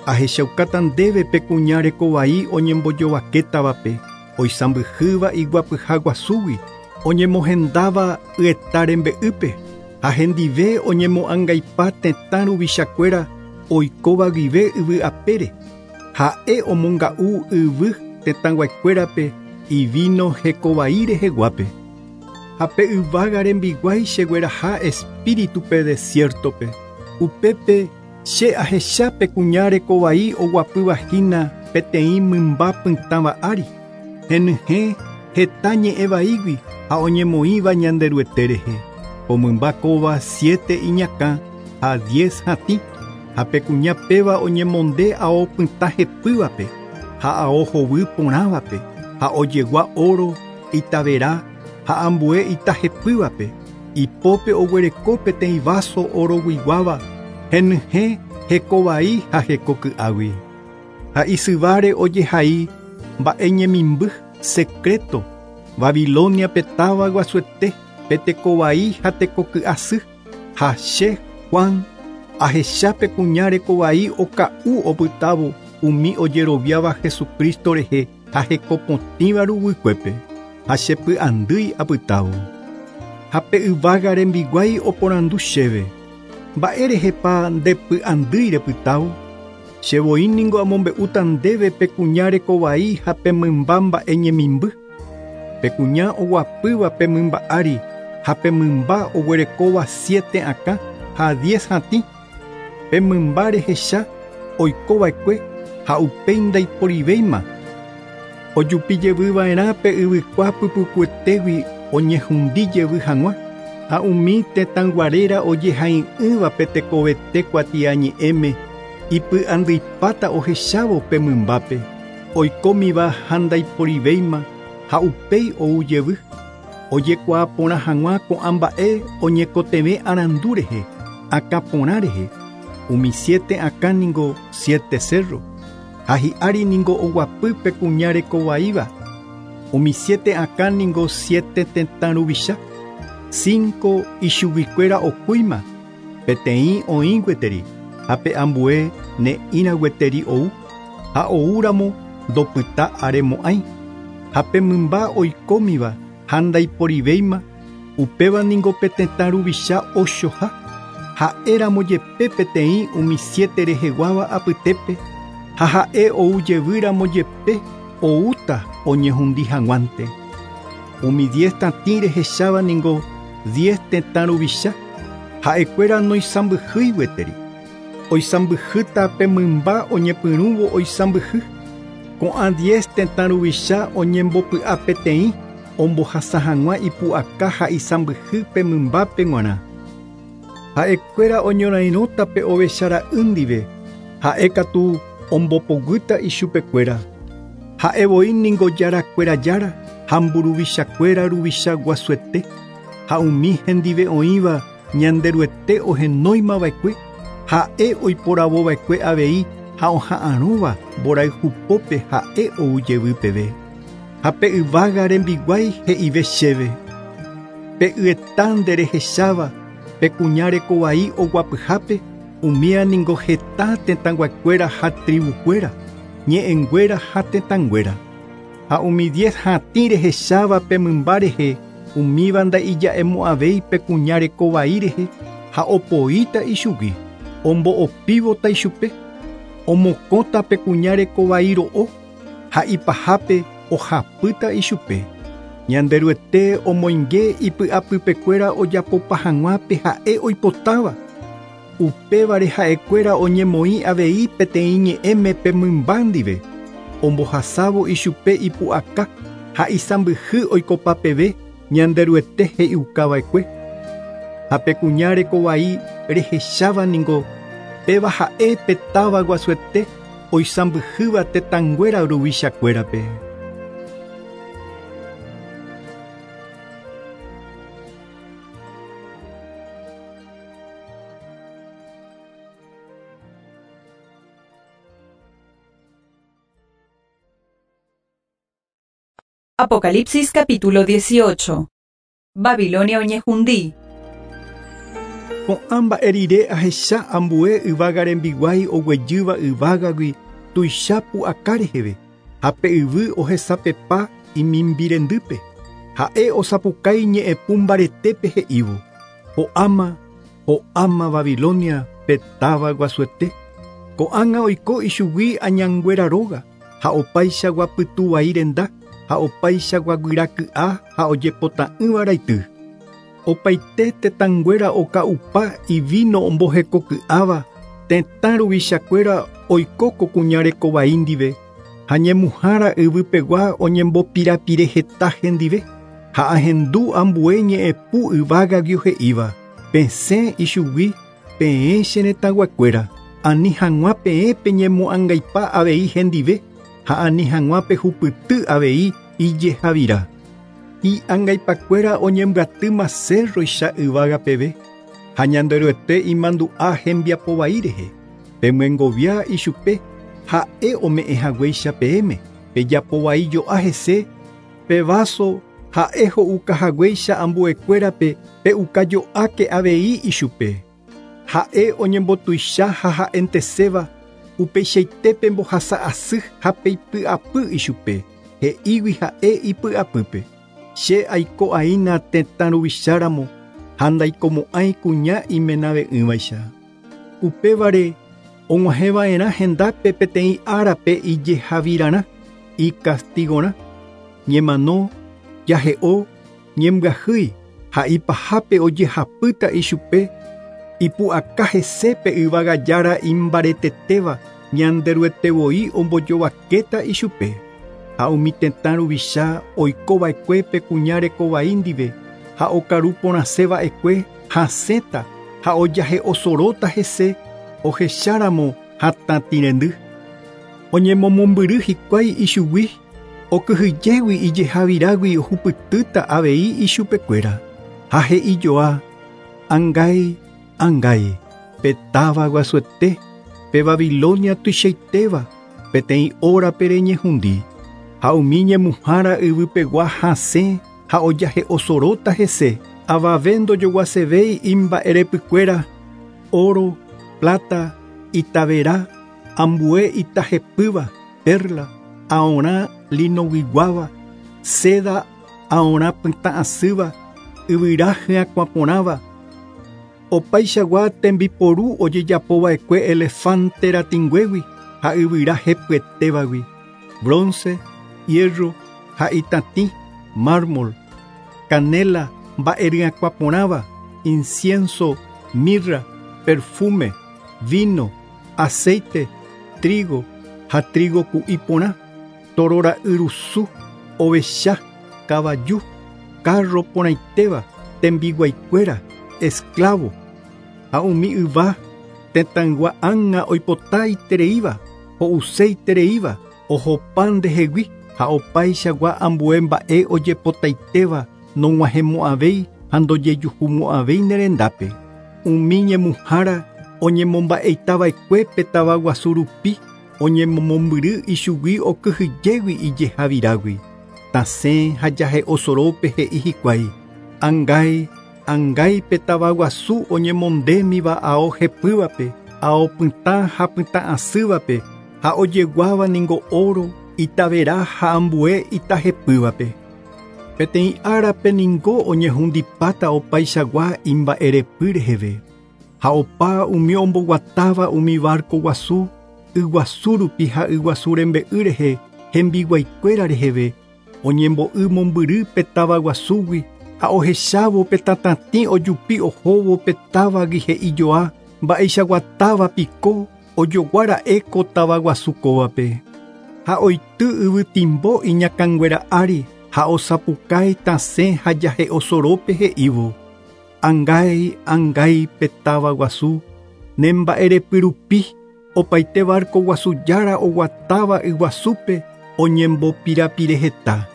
ahechaukáta ndéve pe kuña rekovai oñembojovakétavape, oisãmbyhýva iguapyha guasúgui, oñemohendáva yeta rembe'ýpe, ha hendive oñemo'ãngaipa tetã ruvichakuéra oikóva guive yvy apére. Ha'e omonga'u yvy tetãnguakuérape ivino hekovai reheguápe. Ha pe yvága rembiguái chegueraha espíritupe desiertope. Upépe che ahecha pe kuña rekovai oguapýva hína peteĩ mymba pytãva ári. Henyhẽ heta ñe'ẽvaígui ha oñemoĩva Ñanderuete rehe. Ko mymba kóva siete iñakã ha diez hatĩ. Ha pe kuña péva oñemonde ao pytã hepývape ha ao hovy porãvape ha ojegua oro, itavera ha ambue ita hepývape. Ipópe oguereko peteĩ vaso oroguiguáva henyhẽ hekovai ha hekoky'águi. Ha isyváre ojehai mba'e ñemimby secreto Babilonia pe táva guasuete pe tekovai ha tekoky'asy. Ha che Juan ahecha pe kuña rekovai oka'u opytávo umi ojeroviáva Jesucristo rehe ha hekopotĩva ruguykuépe ha chepy'andýi apytávo. Ha pe yvága rembiguái oporandu chéve: Mba'érehepa ndepy'andýi repytávo? Chevoi ningo amombe'úta ndéve pe kuña rekovai ha pe mymba mba'e ñemimby. Pe kuña oguapýva pe mymba ári ha pe mymba oguerekóva siete akã ha diez hatĩ. Pe mymba rehecha oikova'ekue ha upéi ndaiporivéima. Ojupijevyva'erã pe yvykua pypukuetégui oñehundijevy hag̃ua ha umi tetãnguaréra ojehai'ỹva pe tekovete kuatiañe'ẽme ipy'andyipáta ohechávo pe mymbápe oikómiva ha ndaiporivéima ha upéi oujevy. Ojekuaa porã hag̃ua ko'ã mba'e oñekotevẽ arandu rehe, akã porã rehe. Umi siete akã ningo siete cerro ha hi'ári ningo oguapy pe kuña rekovaíva. Umi siete akã ningo siete tetã ruvicha. Cinco ichuguikuéra okúima, peteĩ oĩ gueteri ha pe ambue ne'ĩra gueteri ou ha oúramo ndopyta aremo'ãi. Ha pe mymba oikómiva ha ndaiporivéima, upéva ningo pe tetã ruvicha ochoha. Ha'éramo jepe peteĩ umi siete reheguáva apytépe ha ha'e oujevýramo jepe oúta oñehundi hag̃uánte. Umi diez tatĩ rehecháva ningo diez tetã ruvicha ha'ekuéra noisãmbyhýi gueteri. Oisãmbyhýta pe mymba oñepyrũvo oisãmbyhy. Ko'ã diez tetã ruvicha oñembopy'a peteĩ ombohasa hag̃ua ipu'aka ha isãmbyhy pe mymbápe g̃uarã. Ha'ekuéra oñorairõta pe ovechara'y ndive, ha'e katu ombopoguýta ichupekuéra. Ha'evoi ningo jarakuéra jára ha mburuvichakuéra ruvicha guasuete ha umi hendive oĩva Ñanderuete ohenóimava'ekue ha'e oiporavova'ekue avei ha oha'arõva mborayhupópe ha'e oujevy peve. Ha pe yvága rembiguái he'ive chéve: Pe yeta nderehecháva pe kuña rekovai oguapyhápe umía ningo heta tetãnguakuéra ha tribukuéra, ñe'ẽnguéra ha tetãnguéra. Ha umi diez hatĩ rehecháva pe mymba rehe, umíva nda'ija'emo'ãvéi pe kuña rekovai rehe ha opoíta ichugui, ombo'opívota ichupe, omokõta pe kuña rekovai ro'o ha ipahápe ohapýta ichupe. Ñanderuete omoinge ipy'apypekuéra ojapopa hag̃ua pe ha'e oipotáva. Upévare ha'ekuéra oñemoĩ avei peteĩ ñe'ẽme pe mymba ndive, ombohasávo ichupe ipu'aka ha isãmbyhy oikopapeve Ñanderuete he'iukava'ekue. Ha pe kuña rekovai rehecháva ningo péva ha'e pe táva guasuete oisãmbyhýva tetãnguéra ruvichakuérape. Apocalipsis capítulo dieciocho. Babilonia oñehundi. Ko'ã mba'e rire ahecha ambue yvága rembiguái oguejýva yvágagui tuicha pu'aka reheve, ha pe yvy ohesapepa imimbirendýpe. Ha'e osapukái ñe'ẽpu mbaretépe he'ívo: Ho'áma, ho'áma Babilonia pe táva guasuete. Ko'ág̃a oiko ichugui añanguéra róga, ha opaichagua pytuvai renda, ha opaichagua guyraky'a ha ojepota'ỹva raity. Opaite tetãnguéra oka'upa ivino ombohekoky'áva, tetã ruvichakuéra oiko ko kuña rekovai ndive, ha ñemuhára yvypegua oñembopirapire heta hendive, ha ahendu ambue ñe'ẽpu yvágagui he'íva: Pesẽ ichugui peẽ che retãguakuéra, ani hag̃ua peẽ peñemo'ãngaipa avei hendive, ha ani hag̃ua pehupyty avei ijehavira. Hi'angaipakuéra oñembyatýma cerroicha yvága peve, ha Ñanderuete imandu'a hembiapovai rehe. Pemyengovia ichupe ha'e ome'ẽ haguéicha peẽme, pejapovai jo'a hese, pe vaso ha'e ho'uka haguéicha ambuekuérape pe'ukajo'áke avei ichupe. Ha'e oñembotuicha ha ha'enteséva, upeichaite pembohasa asy ha peipy'apy ichupe, he'ígui ha'e ipy'apýpe. Che aiko aína tetã ruvicháramo ha ndaikomo'ãi kuña imenave'ỹvaicha. Upévare og̃uahẽva'erã hendápe peteĩ árape ijehavirarã, ikastigorã, ñemano, jahe'o, ñembyahýi ha ipahápe ojehapýta ichupe, ipu'aka hese pe yvága jára imbaretetéva Ñanderuete voi ombojovakéta ichupe. Ha umi tetã ruvicha oikova'ekue pe kuña rekovai ndive, ha okaru porãseva'ekue hasẽta ha ojahe'osoróta hese ohecháramo hatãtirendy. Oñemomombyry hikuái ichugui, okyhyjégui ijehavirágui ohupytýta avei ichupekuéra. Ha he'ijoa: Angái, angái, pe táva guasuete, pe Babilonia tuichaitéva, peteĩ órape reñehundi. Ha umi ñemuhára yvypegua hasẽ ha ojahe'osoróta hese, avave ndojoguasevéi imba'erepykuéra, oro, plata, itavera, ambue itahepýva, perla, aorã linoguiguáva, seda aorã pytã asýva, yvyra hyakuãporãva. Opaichagua tembiporu ojejapova'ekue elefante ratĩnguégui ha yvyra hepyetévagui, bronce, hierro ha itatĩ, mármol, canela, mba'eryakuãporãva, incienso, mirra, perfume, vino, aceite, trigo ha trigo ku'i porã, torora'yrusu, ovecha, kavaju, carro porãitéva, tembiguaikuéra, esclavo, ha umi yva tetãygua ág̃a oipotaitereíva, ho'useitereíva, ohopa ndehegui ha opaichagua ambue mba'e ojepotaitéva nog̃uahẽmo'ãvéi ha ndojejuhumo'ãvéi nerendápe. Umi ñemuhára oñemomba'eitava'ekue pe tavaguasu rupi oñemomombyry ichugui okyhyjégui ijehavirágui. Tasẽ ha jahe'osorópe he'i hikuái: Angái, angái pe tavaguasu oñemondémiva ao hepývape, ao pytã ha pytã asývape, ha ojeguáva ningo oro, Itavera ha ambue itahepývape. Peteĩ árape ningo oñehundipáta opaichagua imba'erepy reheve. Ha opa umi omboguatáva umi barco guasu, yguasu rupi ha yguasu rembe'y rehe, hembiguaikuéra reheve, oñembo'y mombyry pe táva guasúgui ha ohechávo pe tatatĩ ojupi ohóvo pe távagui he'ijoa mba'eichaguatáva piko ojoguára'e ko táva guasu kóvape. Ha oity yvytimbo iñakãnguéra ári ha osapukái tasẽ ha jahe'osorópe he'ívo. Angái, angái pe táva guasu, ne mba'erepy rupi opaite barco guasu jára oguatáva yguasúpe oñembopirapireheta.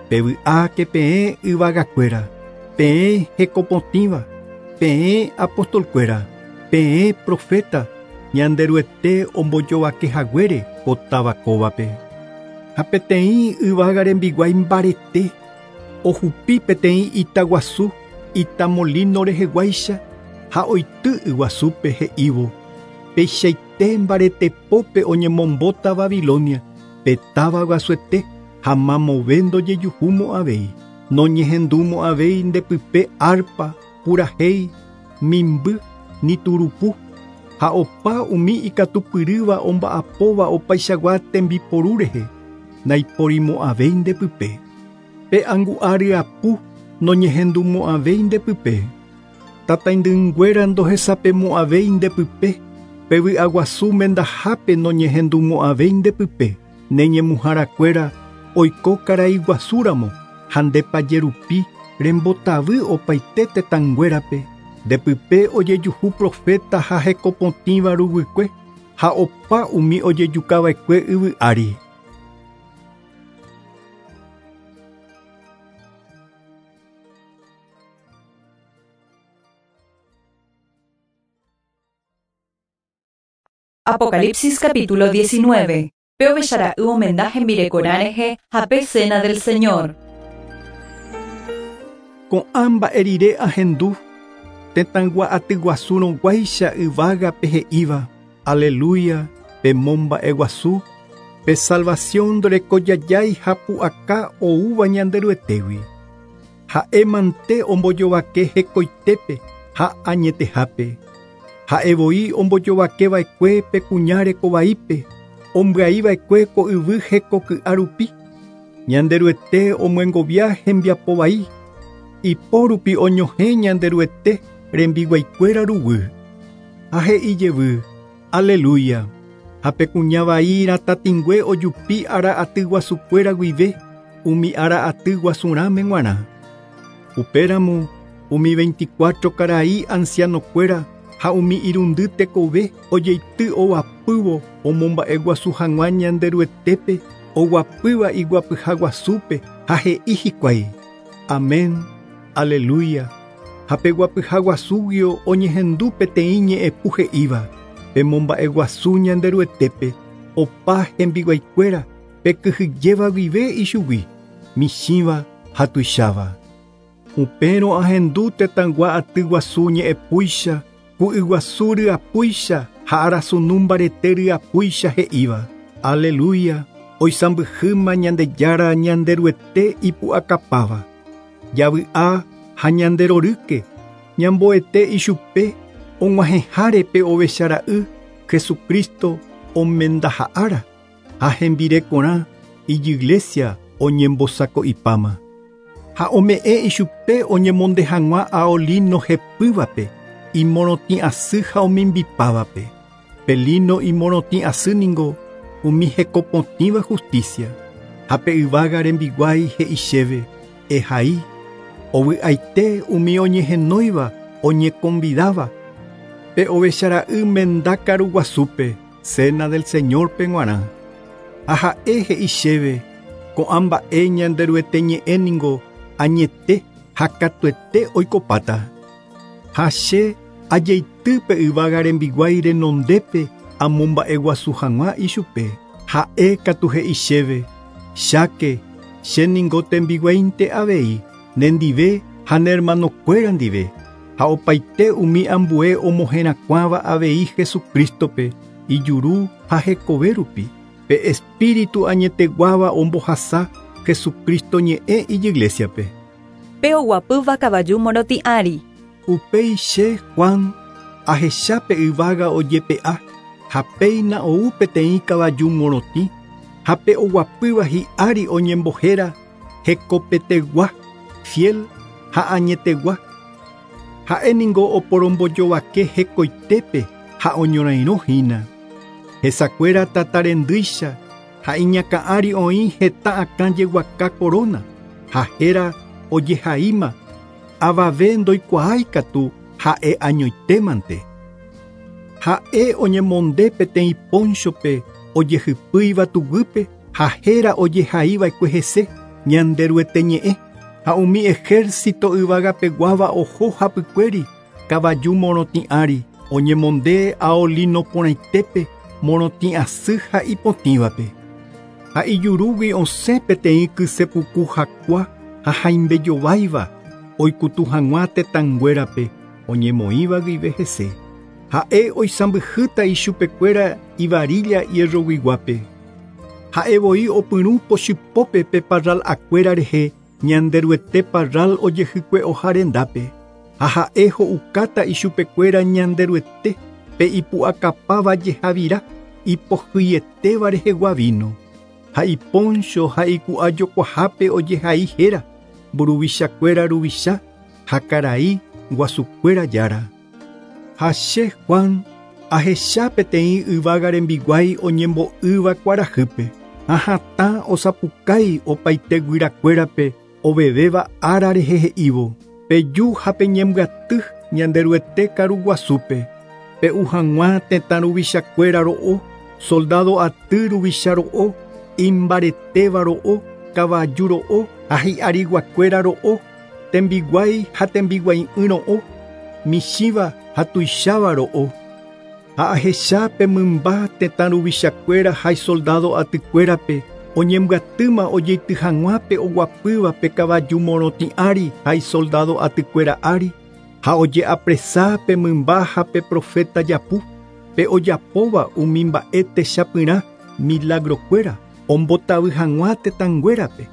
Pevy'áke peẽ yvagakuéra, peẽ hekopotĩva, peẽ apostolkuéra, peẽ profeta, Ñanderuete ombojovakehaguére ko táva kóvape. Ha peteĩ yvága rembiguái mbarete, ohupi peteĩ itaguasu, itamolino reheguáicha ha oity yguasúpe he'ívo. Peichaite mbaretepópe oñemombóta Babilonia, pe táva guasuete ha mamove ndojejuhumo'ãvéi. Noñehendumo'ãvéi ndepype arpa, purahéi, mimby, ni turupu. Ha opa umi ikatupyrýva omba'apóva opaichagua tembiporu rehe, naiporimo'ãvéi ndepype. Pe angu'a ryapu noñehendumo'ãvéi ndepype. Tataindynguéra ndohesapemo'ãvéi ndepype. Pe vy'aguasu mendahápe noñehendumo'ãvéi ndepype. Neñemuharakuéra oiko karai guasúramo ha ndepajerupi rembotavy opaite tetãnguérape. Ndepype ojejuhu profeta ha hekopotĩva ruguykue ha opa umi ojejukava'ekue yvy ári. Apocalipsis capítulo diecinueve. Pe ovechara'y omenda hembirekorã rehe ha pe cena del Señor. Ko'ã mba'e rire ahendu tetãygua atyguasúrõguáicha yvágape he'íva. Aleluya, pe momba'eguasu, pe salvación ndorekojajái ha pu'aka oúva Ñanderuetégui. Ha'e mante ombojovake hekoitépe ha añetehápe. Ha'e voi ombojovakeva'ekue pe kuña rekovaípe, ombyaiva'ekue ko yvy hekoky'a rupi. Ñanderuete omyengovia hembiapovai, ipo rupi oñohẽ Ñanderuete rembiguaikuéra ruguy. Ha he'i jevy, aleluya. Ha pe kuña vai ratatĩngue ojupi ára aty guasukuéra guive, umi ára aty guasurãme g̃uarã. Upéramo umi veinticuatro karai ancianokuéra ha umi irundy tekove ojeity ovapývo omomba'eguasu hag̃ua Ñanderuetépe oguapýva iguapyha guasúpe ha he'i hikuái. Amén, aleluya. Ha pe guapyha guasúguio oñehendu peteĩ ñe'ẽpu he'íva. Pemomba'eguasu Ñanderuetépe opa hembiguaikuéra pekyhyjéva guive ichugui, michĩva ha tuicháva. Upérõ ahendu tetãygua aty guasu ñe'ẽpúicha, ku yguasu ryapúicha ha arasunu mbarete ryapúicha he'íva. Aleluya, oisãmbyhýma Ñandejára Ñanderuete ipu'akapáva. Javy'a ha ñanderorýke, ñamboete ichupe og̃uahẽháre pe ovechara'y Jesucristo omendaha'ára ha hembirekorã ijiglesia oñembosako'ipáma. Ha ome'ẽ ichupe oñemonde hag̃ua ao lino hepývape, imorotĩ asy ha omimbipávape. Pe lino imorotĩ asy ningo umi hekopotĩva justicia. Ha pe yvága rembiguái he'i chéve, ehai, ovy'aite umi oñehenóiva oñeconvidáva pe ovechara'y menda karuguasúpe, cena del Señorpe g̃uarã. Ha ha'e he'i chéve, ko'ã mba'e Ñanderuete ñe'ẽ ningo añete ha katuete oikopáta. Ha che ajeity pe yvága rembiguái renondépe amomba'eguasu hag̃ua ichupe. Ha'e katu he'i chéve, cháke, che ningo tembiguáinte avei, nendive ha ne hermanokuéra ndive, ha opaite umi ambue omoherakuãva avei Jesucristope, ijuru ha hekove rupi. Pe espíritu añeteguáva ombohasa Jesucristo ñe'ẽ ijiglesiape. Pe oguapýva kavaju morotĩ ári. Upéi che Juan ahecha pe yvága ojepe'a ha péina ou peteĩ kavaju morotĩ ha pe oguapýva hi'ári oñembohéra hekopetegua, fiel ha añetegua. Ha'e ningo oporombojovake hekoitépe ha oñorairõhína. Hesakuéra tatarendýicha ha iñakã'ári oĩ heta akã jeguaka corona ha héra ojehaíma avave ndoikuaáikatu ha'e añoitémante. Ha'e oñemonde peteĩ ponchope ojehypýiva tuguýpe ha héra ojehaíva'ekue hese Ñanderuete ñe'ẽ ha umi ejército yvagapeguáva oho hapykuéri kavaju morotĩ ári oñemonde ao lino porãitépe morotĩ asy ha ipotĩvape. Ha ijurúgui osẽ peteĩ kysepuku hakua ha haimbejováiva oikutu hag̃ua tetãnguérape oñemoĩva guive hese. Ha'e oisãmbyhýta ichupekuéra ivarilla hierroguiguápe. Ha'e voi opyrũ pochypópe pe parral akuéra rehe Ñanderuete parral ojehykue rendápe. Ha ha'e ho'ukáta ichupekuéra Ñanderuete pe ipu'akapáva jehavira ipohýietéva rehegua vino. Ha iponcho ha iku'ajokuahápe ojehai héra mburuvichakuéra ruvicha ha karai guasukuéra jára. Ha che Juan ahecha peteĩ yvága rembiguái oñembo'ýva kuarahýpe ha hatã osapukái opaite guyrakuérape ovevéva ára rehe he'ívo. Peju ha peñembyaty Ñanderuete karuguasúpe pe'u hag̃ua tetã ruvichakuéra ro'o, soldado aty ruvicha ro'o, imbaretéva ro'o, kavaju ro'o ha hi'ariguakuéra ro'o, tembiguái ha tembiguai'ỹ ro'o, michĩva ha tuicháva ro'o. Ha ahecha pe mymba tetã ruvichakuéra ha isoldado atykuérape oñembyatýma ojeity hag̃ua pe oguapýva pe kavaju morotĩ ári ha isoldado atykuéra ári ha ojeapresa pe mymba ha pe profeta japu pe ojapóva umi mba'e techapyrã milagrokuéra ombotavy hag̃ua tetãnguérape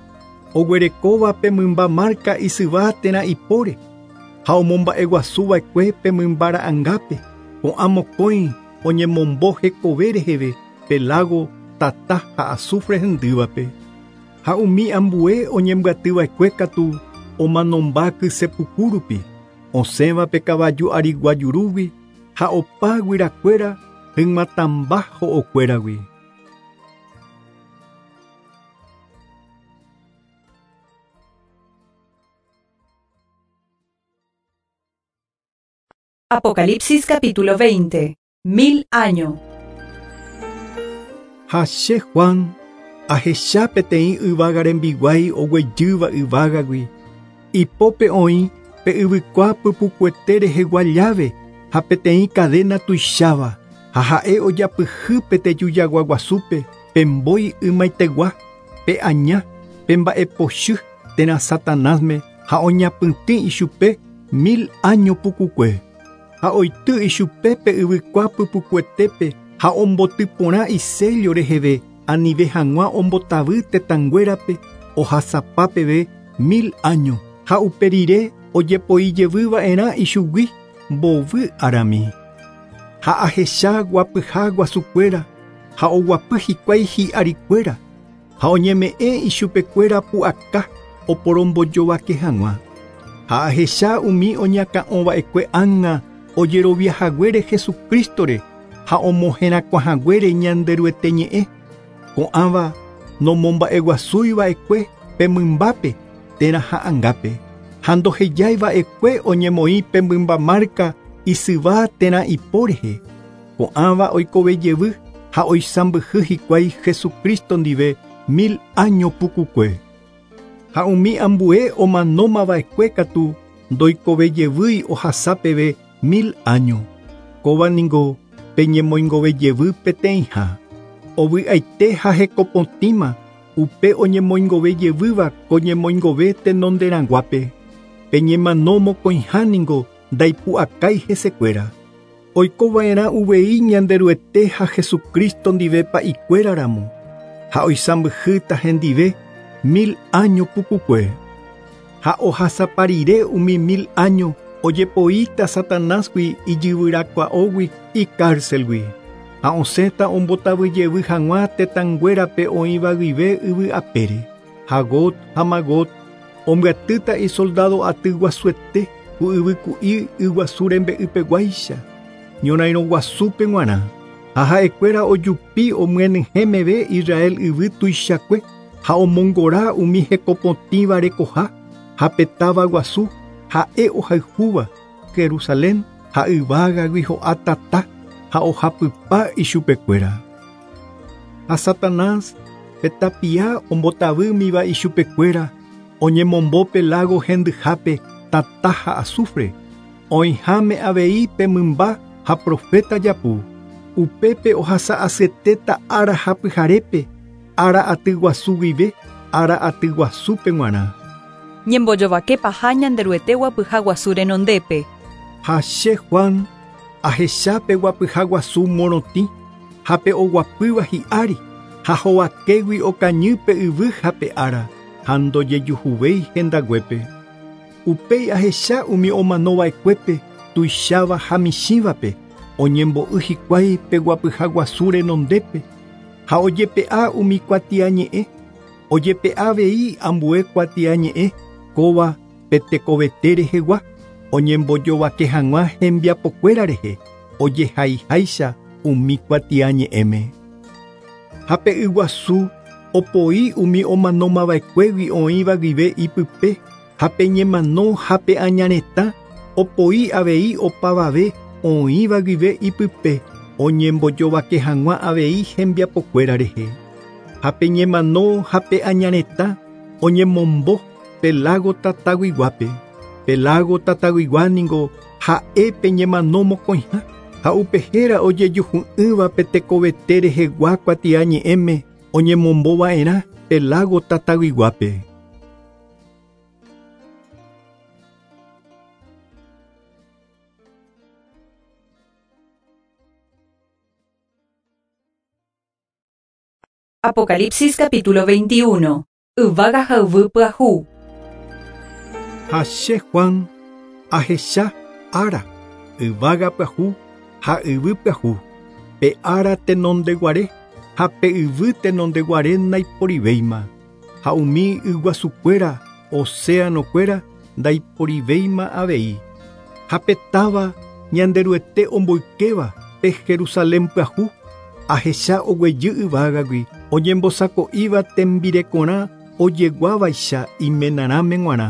oguerekóva pe mymba marca isyva térã ipóre ha omomba'eguasuva'ekue pe mymba ra'ãngápe ko'ã mokõi oñemombo hekove reheve pe lago tata ha azufre hendývape. Ha umi ambue oñembyatyva'ekue katu omanomba kysepuku rupi osẽva pe kavaju arigua jurúgui ha opa guyrakuéra hyg̃uatãmba ho'okuéragui. Apocalipsis capítulo veinte. Mil año. Ha che Juan ahecha peteĩ yvága rembiguái oguejýva yvágagui ipópe oĩ pe yvykua pypukuete rehegua llave ha peteĩ cadena tuicháva ha ha'e ojapyhy pe tejujaguaguasúpe pe mbói ymaitegua pe aña pe mba'epochy térã Satanásme ha oñapytĩ ichupe mil año pukukue. Ha oity ichupe pe yvykua pypukuetépe ha ombotyporã isello reheve anive hag̃ua ombotavy tetãnguérape ohasapa peve mil año ha upe rire ojepoijevyva'erã ichugui mbovy arami. Ha ahecha guapyha guasukuéra ha oguapy hikuái hi'arikuéra ha oñeme'ẽ ichupekuéra pu'aka oporombojovake hag̃ua. Ha ahecha umi oñakã'ova'ekue ág̃a ojeroviahaguére Jesucristore ha omoherakuãhaguére Ñanderuete ñe'ẽ ko'ãva nomomba'eguasúiva'ekue pe mymbápe térã ha'ãngápe ha ndohejaiva'ekue oñemoĩ pe mymba marca isyva térã ipo rehe. Ko'ãva oikovejevy ha oisãmbyhy hikuái Jesucristo ndive mil año pukukue. Ha umi ambue omanómava'ekue katu ndoikovejevýi ohasa peve mil año. Kóva ningo peñemoingovejevy peteĩha. Ovy'aite ha hekopotĩma upe oñemoingovejevýva ko ñemoingove tenonderãguápe. Peñemano mokõiha ningo ndaipu'akái hesekuéra. Oikova'erã uvei Ñanderuete ha Jesucristo ndive pa'ikuéraramo. Ha oisãmbyhýta hendive mil año pukukue. Ha ohasaparire umi mil año ojepoíta Satanásgui ijyvyrakua'ógui icárcelgui. Ha osẽta ombotavyjevy hag̃ua tetãnguérape oĩva guive yvy apére. Ha Gog ha Magog ombyatýta isoldado aty guasuete ku yvyku'i yguasu rembe'ypeguáicha ñorairõ guasúpe g̃uarã. Ha ha'ekuéra ojupi omyenyhẽ meve Israel yvy tuichakue ha omongora umi hekopotĩva rekoha ha pe táva guasu ha'e ohayhúva Jerusalén ha yvágagui ho'a tata ha ohapypa ichupekuéra. Ha Satanás pe tapia ombotavýmiva ichupekuéra oñemombo pe lago hendyhápe tata ha azufre oĩháme avei pe mymba ha profeta japu. Upépe ohasa'asyetéta ára ha pyharépe ára aty guasu guive ára aty guasúpe g̃uarã. Ñembojovake paha Ñanderuete guapyha guasu renondépe. Ha che Juan ahechápe guapyha guasu morotĩ ha pe oguapýva hi'ári ha hovakégui okañýpe yvy ha pe ára ha ndojejuhuvéi hendaguépe. Upéi ahecha umi omanova'ekuépe tuicháva ha michĩvape oñembo'y hikuái pe guapyha guasu renondépe ha ojepe'a umi kuatiañe'ẽ ojepe'a avei ambue kuatiañe'ẽ kóva pe tekovete rehegua oñembojovake hag̃ua hembiapokuéra rehe ojehaiháicha umi kuatiañe'ẽme. Ha pe yguasu opoi umi omanomava'ekuégui oĩva guive ipype ha pe ñemano ha pe añaretã opoi avei opavave oĩva guive ipype oñembojovake hag̃ua avei hembiapokuéra rehe. Ha pe ñemano ha pe añaretã oñemombo pe lago tataguiguápe. Pe lago tataguigua ningo ha'e pe ñemano mokõiha ha upe héra ojejuhu'ỹva pe tekovete rehegua kuatiañe'ẽme oñemombova'erã pe lago tataguiguápe. Apocalipsis capítulo veintiuno. Yvága ha yvy pyahu. Ha che Juan ahecha ára yvága pyahu ha yvy pyahu pe ára tenondeguare ha pe yvy tenondeguare ndaiporivéima ha umi yguasukuéra océanokuéra ndaiporivéima avei ha pe táva Ñanderuete omboykéva pe Jerusalén pyahu ahecha oguejy yvágagui oñembosako'íva tembirekorã ojeguávaicha imenarãme g̃uarã.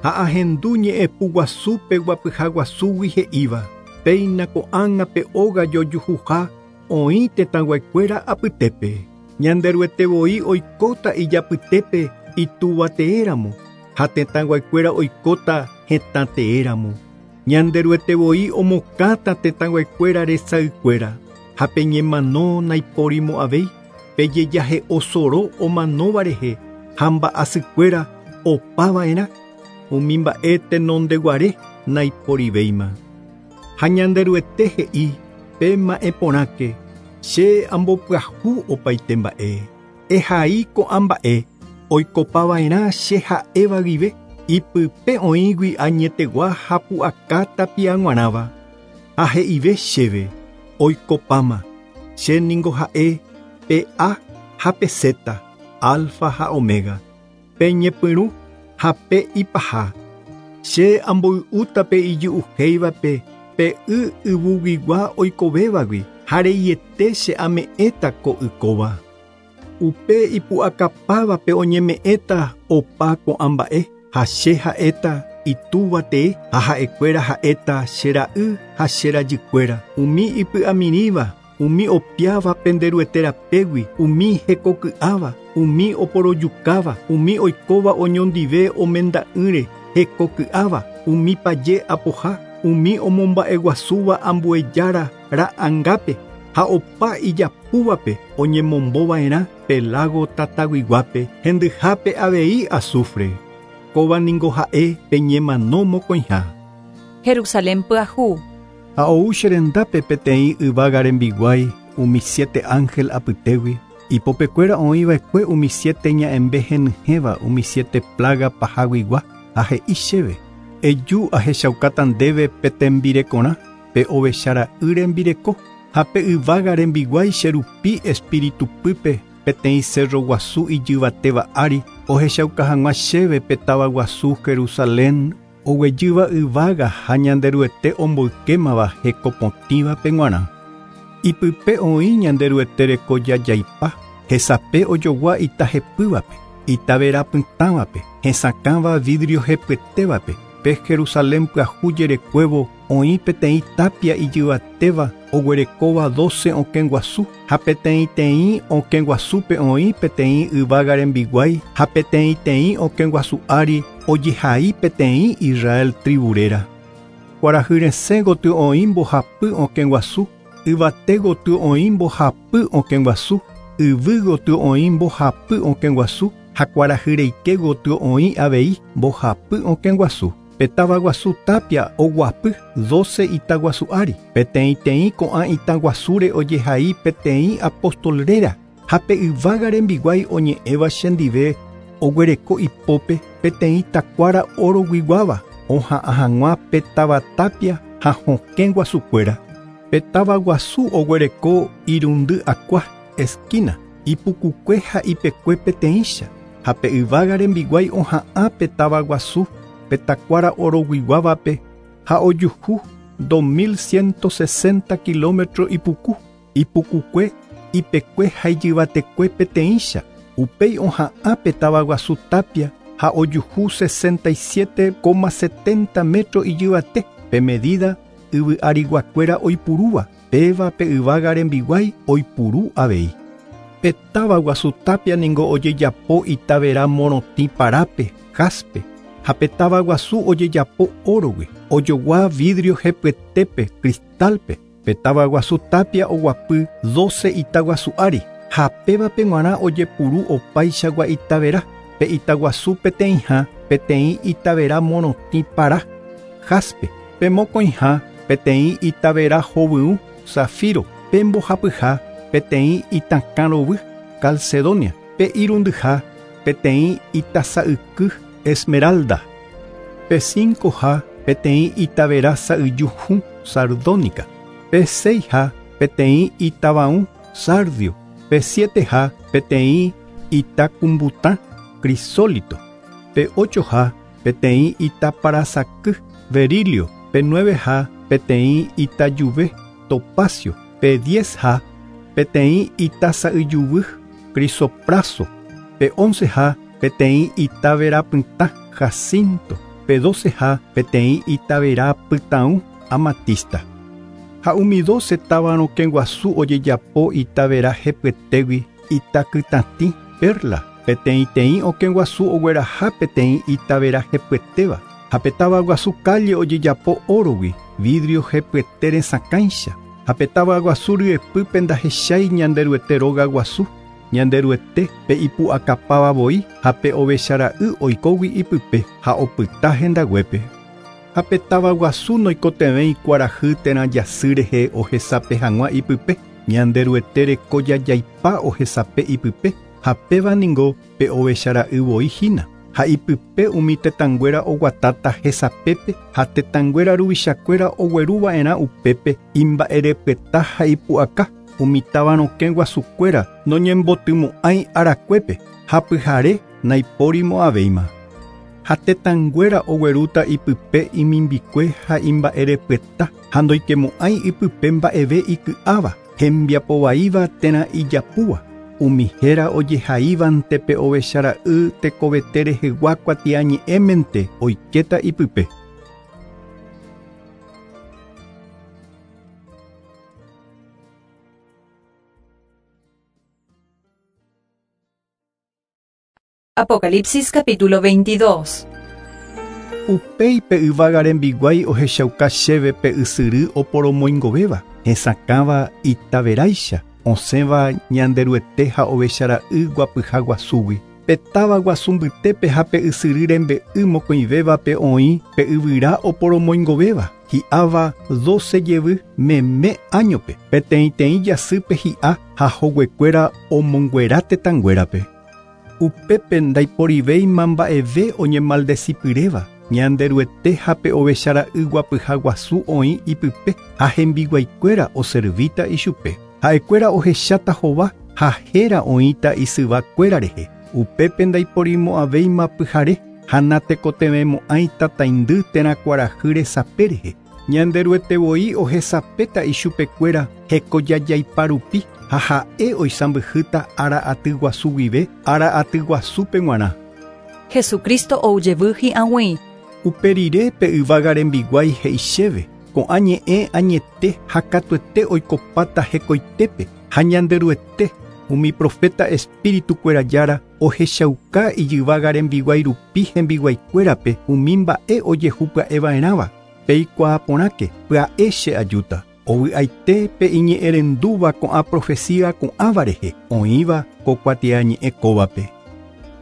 Ha ahendu ñe'ẽpu guasúpe guapyha guasúgui he'íva péina ko'ág̃a pe óga jojuhuha oĩ tetãguaikuéra apytépe. Ñanderuete voi oikóta ijapytépe ituvateéramo ha tetãguaikuéra oikóta hetãteéramo. Ñanderuete voi omokãta tetãguaikuéra resaykuéra ha pe ñemano naiporimo'ãvéi pe jejahe'osoro omanóva rehe ha mba'asykuéra opava'erã umi mba'e tenondeguare naiporivéima. Ha Ñanderuete he'i pe mba'e porãke che ambopyahu opaite mba'e ehai ko'ã mba'e oikopava'erã che ha'éva guive ipype oĩgui añetegua ha pu'aka tapia g̃uarãva. Ha he'ive chéve oikopáma che ningo ha'e pe A ha pe Z, alfa ha omega, pe ñepyrũ ha pe ipaha. Che amboy'úta pe ijy'uhéivape pe y yvuguigua oikovévagui ha reiete che ame'ẽta ko ykóva. Upe ipu'akapávape oñeme'ẽta opa ko'ã mba'e ha che ha'éta itúvatee ha ha'ekuéra ha'éta che ra'y ha che rajykuéra umi ipy'amirĩva umi opiáva penderuete rapégui umi hekoky'áva umi oporojukáva umi oikóva oñondive omenda'ỹre hekoky'áva umi paje apoha umi omomba'eguasúva ambuejára ra'angápe ha opa ijapúvape oñemombova'erã pe lago tataguiguápe hendyhápe avei azufre. Kóva ningo ha'e pe ñemano mokõiha. Jerusalén pyahu. Ha ou che rendápe peteĩ yvága rembiguái umi siete ángel apytégui Ipopekuéra oĩva'ekue umi siete ña'ẽmbe henyhẽva umi siete plaga pahaguigua ha he'i chéve. Eju ahechaukáta ndéve pe tembirekorã, pe ovechara'y rembireko, ha pe yvága rembiguái che rupi espíritu pýpe peteĩ cerro guasu ijyvatéva ári ohechauka hag̃ua chéve pe táva guasu Jerusalén oguejýva yvága ha Ñanderuete omboykémava hekopotĩvape g̃uarã. Ipype oĩ Ñanderuete rekojajaipa, hesape ojogua itahepývape, itaverapytãvape, hesakãva vidrio hepyetévape. Pe Jerusalén pyahu jerekuévo oĩ peteĩ tapia ijyvatéva oguerekóva doce okẽ guasu, ha peteĩteĩ okẽ guasúpe oĩ peteĩ yvága rembiguái, ha peteĩteĩ okẽ guasu ári ojehai peteĩ Israel tribu réra. Kuarahy resẽ gotyo oĩ mbohapy okẽ guasu, yvate gotyo oĩ mbohapy okẽ guasu, yvy gotyo oĩ mbohapy okẽ guasu, ha kuarahy reike gotyo oĩ avei mbohapy okẽ guasu. Pe táva guasu tapia oguapy doce ita guasu ári, peteĩteĩ ko'ã ita guasúre ojehai peteĩ apóstol réra, ha pe yvága rembiguái oñe'ẽva chendive oguereko ipópe peteĩ takuára oroguiguáva oha'ã hag̃ua pe táva tapia ha hokẽ guasukuéra. Pe táva guasu oguereko irundy akua esquina, ipukukue ha ipekue peteĩcha, ha pe yvága rembiguái oha'ã pe táva guasu pe takuára oroguiguávape ha ojuhu dos mil ciento sesenta kilómetro ipuku, ipukukue, ipekue ha ijyvatekue peteĩcha. Upéi oha'ã pe táva guasu tapia ha ojuhu sesenta y siete coma setenta metro ijyvate, pe medida yvy ariguakuéra oipurúva, péva pe yvága rembiguái oipuru avei. Pe táva guasu tapia ningo ojejapo itavera morotĩ parápe, jaspe, ha pe táva guasu ojejapo órogui, ojogua vidrio hepyetépe, cristalpe. Pe táva guasu tapia oguapy doce ita guasu ári, ha pévape g̃uarã ojepuru opaichagua itavera, pe ita guasu peteĩha peteĩ itavera morotĩ para, jaspe, pe mokõiha peteĩ itavera hovyũ, zafiro, pe mbohapyha peteĩ itakãrovy, calcedonia, pe irundyha peteĩ itasa'yky, esmeralda, pe cincoha peteĩ itavera sa'yju hũ, sardónica, pe seiha peteĩ itavaũ, sardio, pe sieteha peteĩ itakumbutã, crisólito, pe ochoha peteĩ itaparasaky, berilio, pe nueveha peteĩ itajuvy, topacio, pe diezha peteĩ itasa'yjuvy, crisopraso, pe onceha peteĩ itaverapytã, jacinto, pe doceha peteĩ itaverapytãu, amatista. Ha umi doce táva rokẽ guasu ojejapo itavera hepyetégui, itakytatĩ, perla, peteĩteĩ okẽ guasu ogueraha peteĩ itavera hepyetéva, ha pe táva guasu calle ojejapo órogui, vidrio hepyete resakãicha, ha pe táva guasu ryepýpe ndahechái Ñanderuete róga guasu, Ñanderuete pe ipu'akapáva voi ha pe ovechara'y oikógui ipype ha opyta hendaguépe. Ha pe táva guasu noikotevẽi kuarahy térã jasy rehe ohesape hag̃ua ipype, Ñanderuete rekojajaipa ohesape ipype, ha péva ningo pe ovechara'y voi hína. Ha ipype umi tetãnguéra oguatáta hesapépe ha tetãnguéra ruvichakuéra ogueruva'erã upépe imba'erepyeta ha ipu'aka. Umi táva rokẽ guasukuéra noñembotymo'ãi arakuépe ha pyhare naipórimo'ãvéima. Ha tetãnguéra oguerúta ipype imimbikue ha imba'erepyeta ha ndoikemo'ãi ipype mba'eve iky'áva, hembiapovaíva térã ijapúva. Umi héra ojehaívante pe ovechara'y tekovete rehegua kuatiañe'ẽmente oikéta ipype. Apocalipsis capítulo veintidós. Upéi pe yvága rembiguái ohechauka chéve pe ysyry oporomoingovéva, hesakãva itaveráicha, osẽva Ñanderuete ha ovechara'y guapyha guasúgui. Pe táva guasu mbytépe ha pe ysyry rembe'y mokõivévape oĩ pe yvyra oporomoingovéva hi'áva doce jevy meme áñope peteĩteĩ jasýpe hi'a ha hoguekuéra omonguera tetãnguérape. Upépe ndaiporivéima mba'eve oñemaldecipyréva Ñanderuete ha pe ovechara'y guapyha guasu oĩ ipype ha hembiguaikuéra oservíta ichupe. Ha'ekuéra ohecháta hova ha héra oĩta isyvakuéra rehe. Upépe ndaiporimo'ãvéima pyhare ha natekotevẽmo'ãi tataindy térã kuarahy resape rehe. Ñanderuete voi ohesapéta ichupekuéra hekojajaipa rupi ha ha'e oisãmbyhýta ára aty guasu guive ára aty guasúpe g̃uarã. Jesucristo oujevy hi'ag̃ui. Upe rire pe yvága rembiguái he'i chéve ko'ã ñe'ẽ añete ha katuete oikopáta hekoitépe ha Ñanderuete umi profeta espíritukuéra jára ohechauka ijyvága rembiguái rupi hembiguaikuérape umi mba'e ojehupya'eva'erãva peikuaa porãke pya'e che ajúta ovy'aite pe iñe'ẽrendúva ko'ã profecía ko'ãva rehe oĩva ko kuatiañe'ẽ kóvape.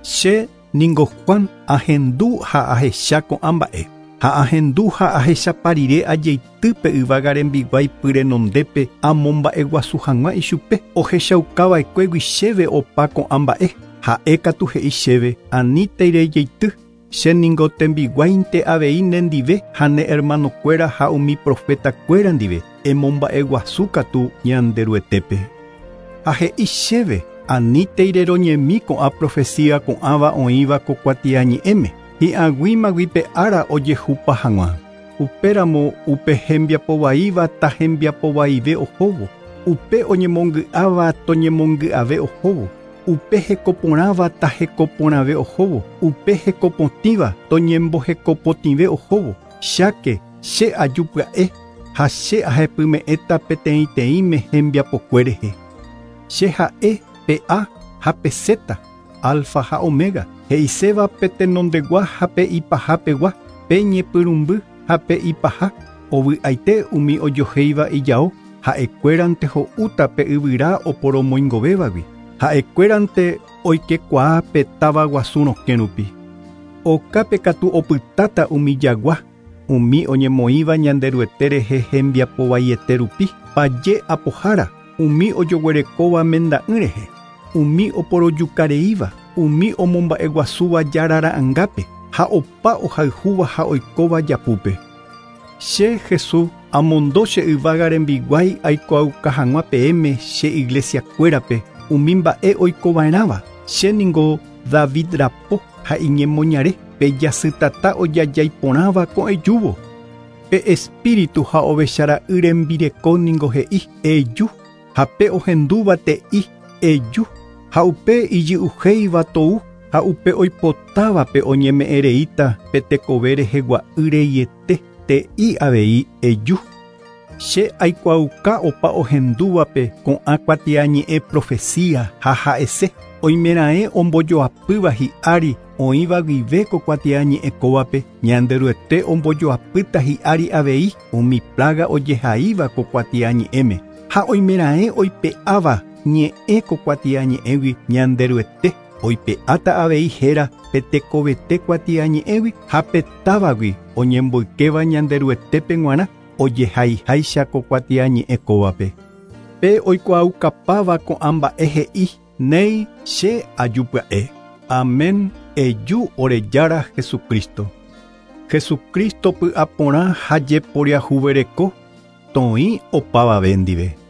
Che ningo Juan ahendu ha ahecha ko'ã mba'e ha ahendu ha ahechapa rire ajeity pe yvága rembiguái pyrenondépe amomba'eguasu hag̃ua ichupe ohechaukava'ekuégui chéve opa ko'ã mba'e ha'e katu he'i chéve anítei jeity che ningo tembiguáinte avei nendive ha ne hermanokuéra ha umi profetakuéra ndive emomba'eguasu katu Ñanderuetépe. Ha he'i chéve anítei reroñemi ko'ã profecía ko'ãva oĩva ko kuatiañe'ẽme hi'ag̃uímagui pe ára ojehupa hag̃ua. Upéramo upe hembiapovaíva tahembiapovaive ohóvo, upe oñemongy'áva toñemongy'ave ohóvo, upe hekoporãva tahekoporãve ohóvo, upe hekopotĩva toñembohekopotĩve ohóvo. Cháke che aju pya'e ha che ahepyme'ẽta peteĩteĩme hembiapokue rehe. Che ha'e pe A ha pe Z, alfa ha omega, he'iséva pe tenondegua ha pe ipahapegua, pe ñepyrũmby ha pe ipaha, ovy'aite umi ojohéiva ijao, ha'ekuérante ho'úta pe yvyra oporomoingovévagui, ha'ekuérante oikekuaa pe táva guasu rokẽ rupi. Okápe katu opytáta umi jagua, umi oñemoĩva Ñanderuete rehe hembiapovaiete rupi, paje apohára, umi ojoguerekóva menda'ỹ rehe, umi oporojukareíva, umi omomba'eguasúva jarara'ãngápe ha opa ohayhúva ha oikóva japúpe. Che Jesús amondo che yvága rembiguái aikuaauka hag̃ua peẽme che iglesiakuérape umi mba'e oikova'erãva. Che ningo David rapo ha iñemoñare pe jasytata ojajaiporãva ko'ẽjúvo. Pe espíritu ha ovechara'y rembireko ningo he'i eju ha pe ohendúva te'i eju ha upe ijy'uhéiva tou ha upe oipotávape oñeme'ẽreíta pe tekove rehegua'y reiete te'i avei eju. Che aikuaauka opa ohendúvape ko'ã kuatiañe'ẽ profecía ha ha'ese oimeraẽ ombojoapýva hi'ári oĩva guive ko kuatiañe'ẽ kóvape Ñanderuete ombojoapýta hi'ári avei umi plaga ojehaíva ko kuatiañe'ẽme ha oimeraẽ oipe'áva ñe'ẽ ko kuatiañe'ẽgui Ñanderuete oipe'áta avei héra pe tekovete kuatiañe'ẽgui ha pe távagui oñemboykéva Ñanderuetépe g̃uarã ojehaiháicha ko kuatiañe'ẽ kóvape. Pe oikuaaukapáva ko'ã mba'e he'i néi che aju pya'e. Amén. Eju ore Jára Jesucristo. Jesucristo py'aporã ha jeporiahuvereko toĩ opavave ndive.